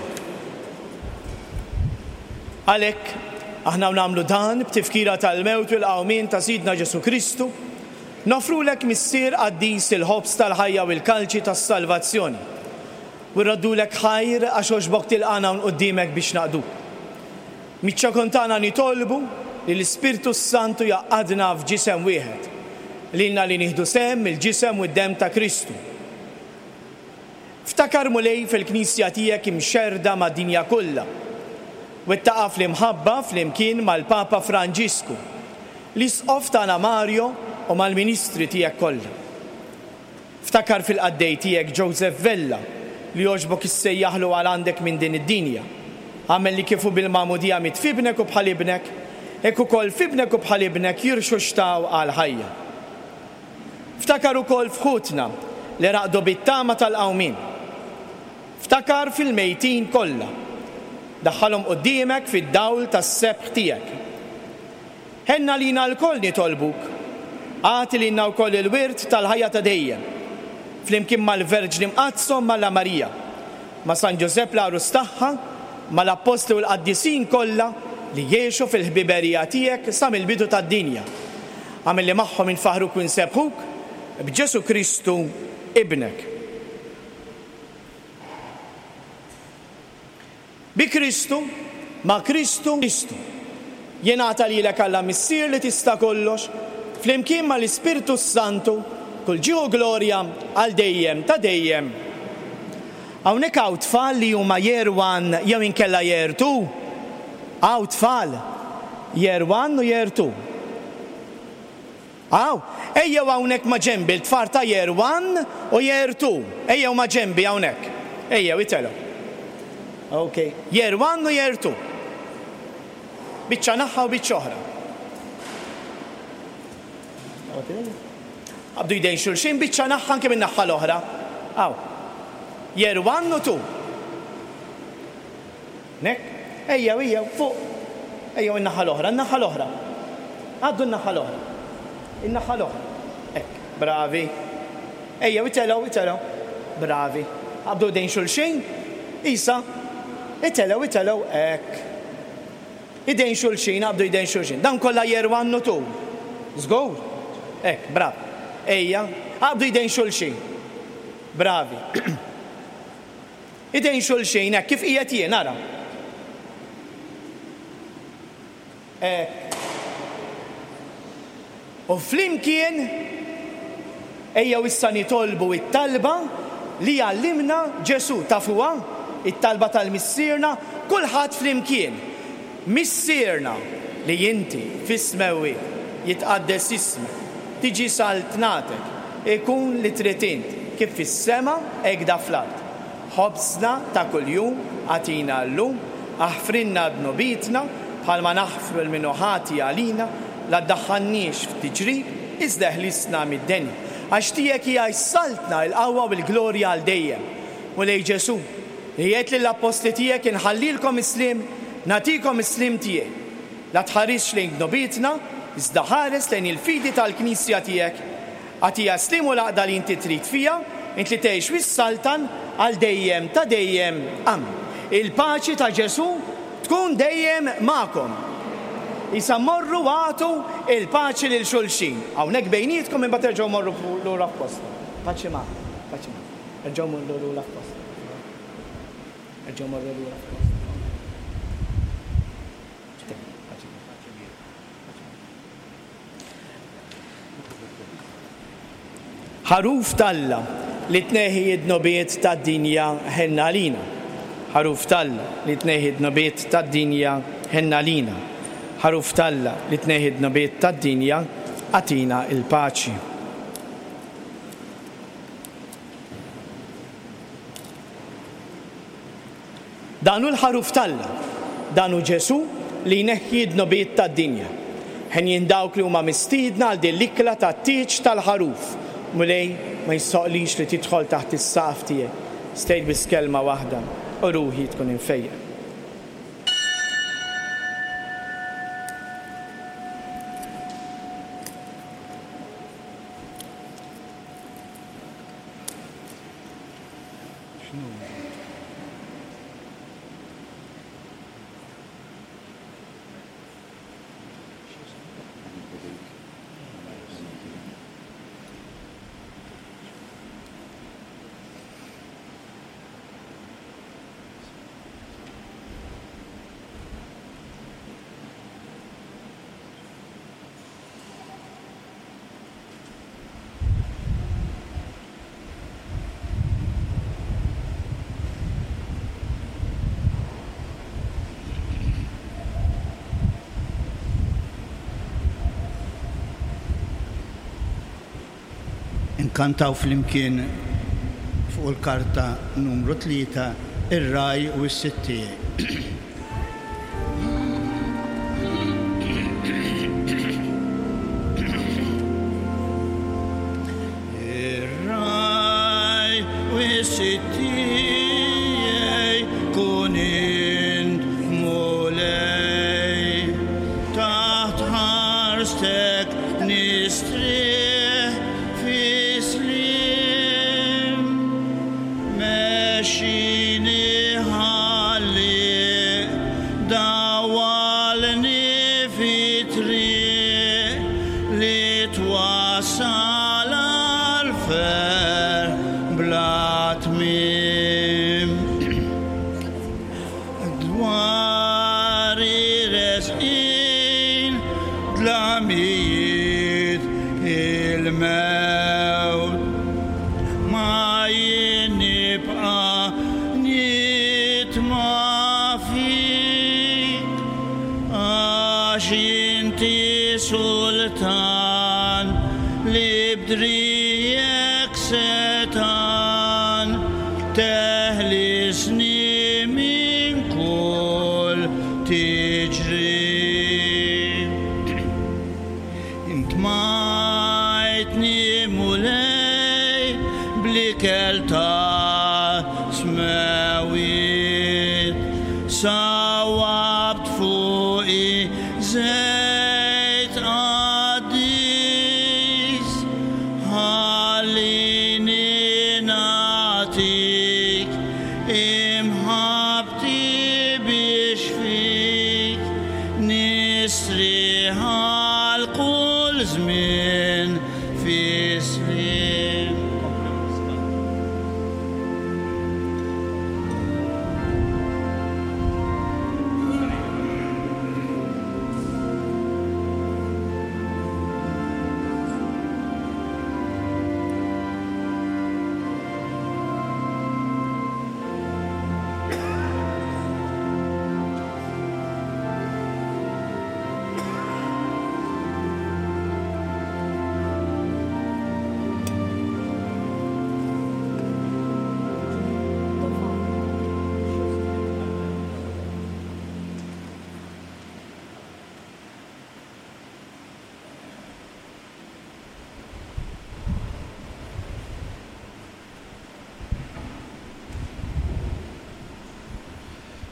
Għalhekk, aħna nagħmlu dan b'tifkira tal-mewt u l-qawmien ta' Sidna Ġesù Kristu, noffrulek Missier qaddis il-ħobż tal-ħajja u l-kalċi tas-salvazzjoni. U rroddulek ħajr għax għoġbok tilqagħna hawn quddiemek biex naqduk. Miċ-ċokon tagħna nitolbu li l-Ispirtu s-Santu jgħaqqadna f'ġisem wieħed, lilna li nieħdu sehem mill-ġisem u d-demm ta' Kristu. Ftakar, Mulej, fil-Knisja tiegħek imxerrda mad-dinja kollha, wettaqha fl-imħabba flimkien mal-Papa Franġisku, l-Isqof tagħna Mario u mal-ministri tiegħek kollha. Ftakar fil-qaddej tiegħek Joseph Vella, li għoġbok issejjaħlu għal għandek minn din id-dinja. Agħmel li kif hu bil-magħmudija miet f'ibnek u bħal ibnek, hekk ukoll f'ibnek u bħal ibnek jirxuxtaw għall-ħajja. Ftakar ukoll f'ħutna li raqdu bit-tama tal-qawmien. Ftakar fil-mejtin kollha. Daħħalhom quddiemek fid-dawl tas-sebħ tiegħek. Ħenna lina lkoll nitolbuk. Agħti lilna wkoll il-wirt tal-ħajja ta' dejjem. Flimkien mal-Verġni Mqaddsa u mal Marija, ma' San Ġużepp l-għarus tagħha, mal-Appostli u l-Qaddisin kollha li jgħixu fil-ħbiberija tiegħek sa mill-bidu tad-dinja. Agħmel li magħhom infaħruk u nsebbħuk b'Ġesù Kristu ibnek. Bi Kristu, ma' Kristu, Kristu. Jingħata lilek Alla Missier li tista' kollox, flimkien mal-Ispirtu s-Santu, kull ġieħ u glorja għal dejjem ta' dejjem. Hawnhekk hawn tfal li huma year one jew inkella year two. Hawn tfal year one u year two. Hawn, ejjew hawnhekk ma' ġenbi l-tfal ta' year one u year two. Ejjew ma' ġenbi hawnhekk. Ejjew itelgħu. Ok, year one u year two. Biċċa naħħa u biċċa oħra. Qabdu jdejn xulxin, biċċa naħħa anke minn naħħa l-oħra. Hawn. Year one u two. Nek? Ejjew, ejjew, fuq. Ejjew in-naħa l-oħra, in-naħa l-oħra. Għaddu n-naħa l-oħra. In-naħa l-oħra. Hekk, bravi. Ejjew, itelgħu, itelgħu. Bravi. Qabdu jdejn xulxin. Isa. Itelgħu, itelgħu, hekk. Idejn xulxin, qabdu jdejn xulxin. Dan kollha year one u two. Żgur? Hekk, brav. Ejja, qabdu jdejn xulxin. Bravi. Idejn xulxin, hekk kif qiegħed jien, ara. Hekk. U flimkien ejjew issa nitolbu it-talba li għallimna Ġesù. Tafuha? It-talba tal-Missierna, kulħadd flimkien. Missierna li inti fis-smewwiet, jitqaddes ismek, tiġi saltnatek, ikun li trid int, kif fis-sema hekk da fl-art. Ħobżna ta' kuljum agħtina llum, aħfrilna dnubietna bħalma naħfru lil min hu ħati għalina, la ddaħħalniex f'tiġrib, iżda eħlisna mid-deni. Għax tiegħek hija s-saltna, il-qawwa u l-glorja għal dejjem. Mulej Ġesù, li għedt lill-appostli tiegħek inħallilkom is-sliem, nagħtikom is-sliem tiegħi. La tħarisx lejn dnubietna, iżda ħares lejn il-fidi tal-Knisja tiegħek. Agħtiha s-sliem u l-għaqda li inti trid fiha, int li tgħix wis-saltan għal dejjem ta' dejjem. Amen. Il-paċi ta' Ġesù tkun dejjem magħkom. Issa morru agħtu il-paċi lil xulxin. Hawnhekk bejnietkom imbagħad terġgħu morru lura f'postom. Paċi magħkom, paċi magħkom. Erġgħu morru lura f'postom. Erġgħu morru lura f'postom. Ħaruf t'Alla li tneħħi d-dnubiet tad-dinja ħenna għalina. Ħaruf t'Alla li tneħħi d-dnubiet tad-dinja ħenna għalina. Ħaruf t'Alla li tneħħi d-dnubiet tad-dinja agħtina l-paċi. Dan hu l-Ħaruf t'Alla, dan hu Ġesù li jneħħi d-dnubiet tad-dinja. Henjin dawk li huma mistiedna għal din l-ikla tat-tieġ tal-Ħaruf. Mulej, ma jistħoqqlix li tidħol taħt is-saqaf tiegħek. Stejt biss kelma waħda u ruħi tkun imfejqa. Inkantaw flimkien fuq il-karta numru tlieta ir-ragħaj u s-sid tiegħi. Ir-ragħaj u s-sid tiegħi kun int Mulej, taħt ħarstek nistrieħ fi sliem, mexxini ħalli dawwalni fi triq li twassal għal ferħ bla tmiem. Dwar ir-resqin dlamijiet il-mewt, ma jien nibqa' nitma' fik, għax inti sultan li b'drijek setan teħlisni minn kull tiġrib. Intmajtni Mulej bl-ikel ta' smewwiet, sawwabt fuqi żejt qaddis, ħallini nagħtik imħabbti biex fik nistrieħ għal kull żmien fi sliem.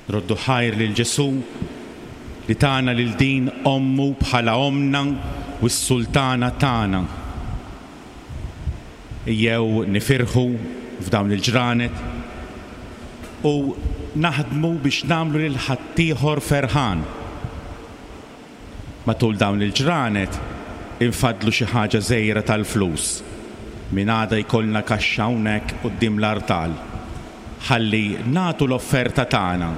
Roddu ħajr lil Ġesù li tana lil din ommu bħala omna u s-sultana tagħna. Ejjew nifirħu f'dawn il-ġranet u naħdmu biex nagħmlu lil ħaddieħor ferħan. Matul dawn il-ġranet infaddlu xi ħaġa żgħira tal-flus. Min għada jkollna kaxxa hawnhekk quddiem l-artal. Ħalli nagħtu l-offerta tagħna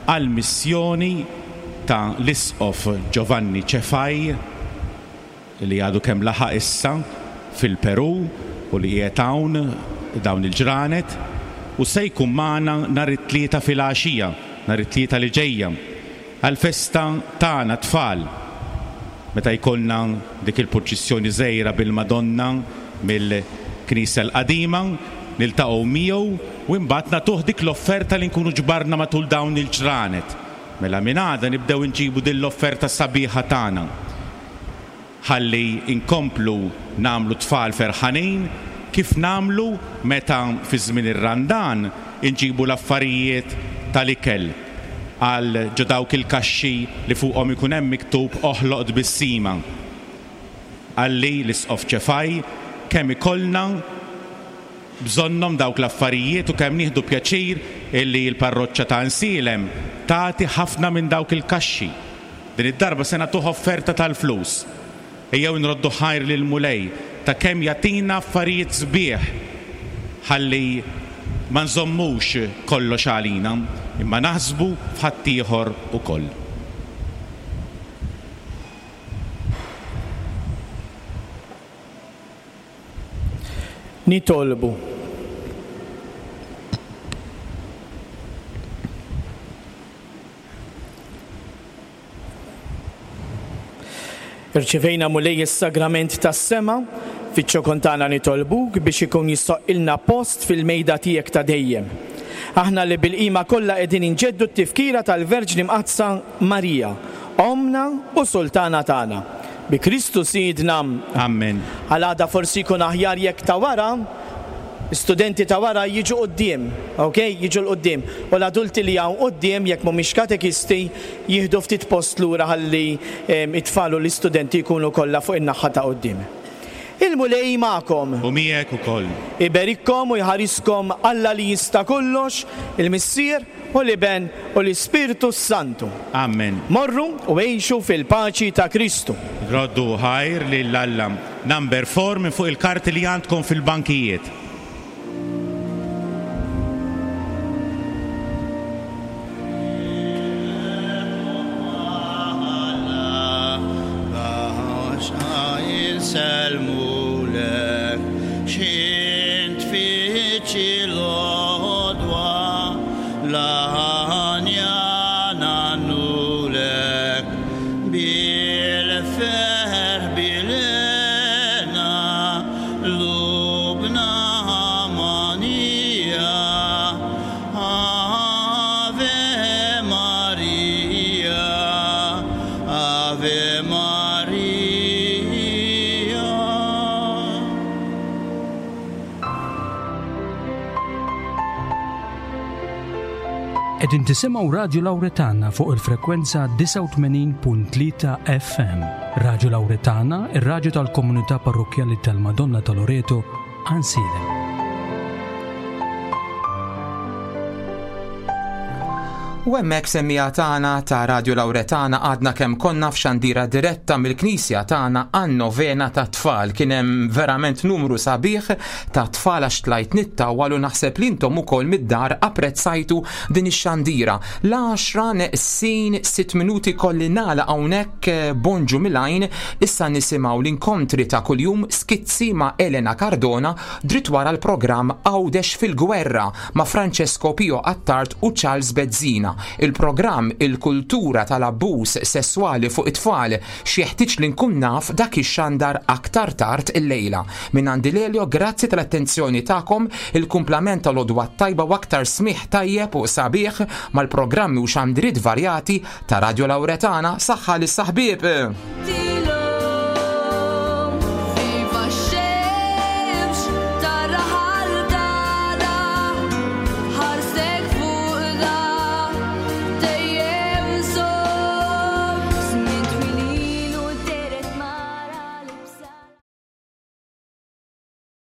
għall-missjoni ta' l-Isqof Giovanni Cefai li għadu kemm laħaq issa fil-Peru u li qiegħed hawn dawn il-ġranet u se jkun magħna nhar it-Tlieta filgħaxija, nhar it-Tlieta li ġejja, għall-festa tagħna tfal. Meta jkollna dik il-purċissjoni żgħira bil-Madonna mill-Knisja l-Qadima niltaqgħu miegħu u imbagħad nagħtuh dik l-offerta li nkunu ġbarna matul dawn il-ġranet. Mela minn għada nibdew inġibu din l-offerta sabiħa tagħna. Ħalli inkomplu nagħmlu tfal ferħanin kif nagħmlu meta fi żmien ir-Randan inġibu l-affarijiet tal-ikel għal ġo dawk il-kaxxi li fuqhom ikun hemm miktub oħloq tbissima. Qalli l-Isqof Ċefaj kemm ikollna bżonnhom dawk l-affarijiet u kemm nieħdu pjaċir illi l-parroċċa ta' Nsielem tagħti ħafna minn dawk il-kaxxi. Din id-darba se nagħtuh offerta tal-flus. Ejjew nroddu ħajr lill-Mulej ta' kemm jagħtina affarijiet sbieħ ħalli ma nżommux kollox għalina, imma naħsbu f'ħaddieħor ukoll. Nitolbu. Irċivejna Mulej is-sagrament tas-sema, fiċ-ċokon tagħna nitolbuk biex ikun jistoqqilna post fil-mejda tiegħek ta' dejjem. Aħna li bil-qima kollha qegħdin inġeddu t-tifkira tal-Verġni Mqaddsa Marija, Ommna u Sultana tagħna. Bi Kristu Sidna. Amen. Għal għada forsi jkun aħjar jekk ta' wara, studenti ta' wara jiġu quddiem, ok? Jiġu 'l quddiem. U l-adulti li hawn quddiem jekk mhumiex katekisti jieħdu ftit post lura ħalli it-tfal u l-istudenti jkunu kollha fuq in-naħa ta' quddiem. Il-Mulej magħkom. U miegħek ukoll. Iberikkom u jħariskom Alla li jista' kollox, il-Missier u l-Iben u l-Ispirtu Santu. Amen. Morru u għixu fil-paċi ta' Kristu. Roddu ħajr lil Alla. Number four minn fuq il-karti li għandkom fil-bankijiet. Salmulek, xint fiċi l-odwa, laħanja nannulek, bil-ferħ bilena, lubna manija, Ave Maria, Ave Maria. Qegħdin tisimgħu Radju Lawretana fuq il-frekwenza disgħa u tmenin punt tlieta F M. Radju Lawretana, ir-radju tal-komunità parrokkjali tal-Madonna ta' Loreto, Għajnsielem. U hemmhekk semmija tagħna ta' Radju Lawretana għadna kemm konna f'xandira diretta mill-Knisja tagħna għan-novena ta' tfal. Kien hemm verament numru sabiħ ta' tfal għax tlajt nittawwal u naħseb li intom ukoll mid-dar apprezzajtu din ix-xandira. L-għaxra neqsin sitt minuti kolli nagħlaq hawnhekk, eh, bonġu mill-għajn, issa nisimgħu l-inkontri ta' kuljum skizzi ma' Elena Cardona dritt wara l-programm Għawdex fil-Gwerra ma' Francesco Pio Attard u Charles Bezzina. Il-programm Il-Kultura tal-Abbuż Sesswali fuq it-tfal x'jeħtieġ li nkun naf dak ix-xandar aktar tard illejla. Minn għandi Lelio, grazzi tal-attenzjoni tagħkom, il-kumplament tal-għodwa tajba u aktar smigħ tajjeb u sabiħ mal-programmi u xandriet varjati ta' Radio Lawretana. Saħħa lis-saħbieb.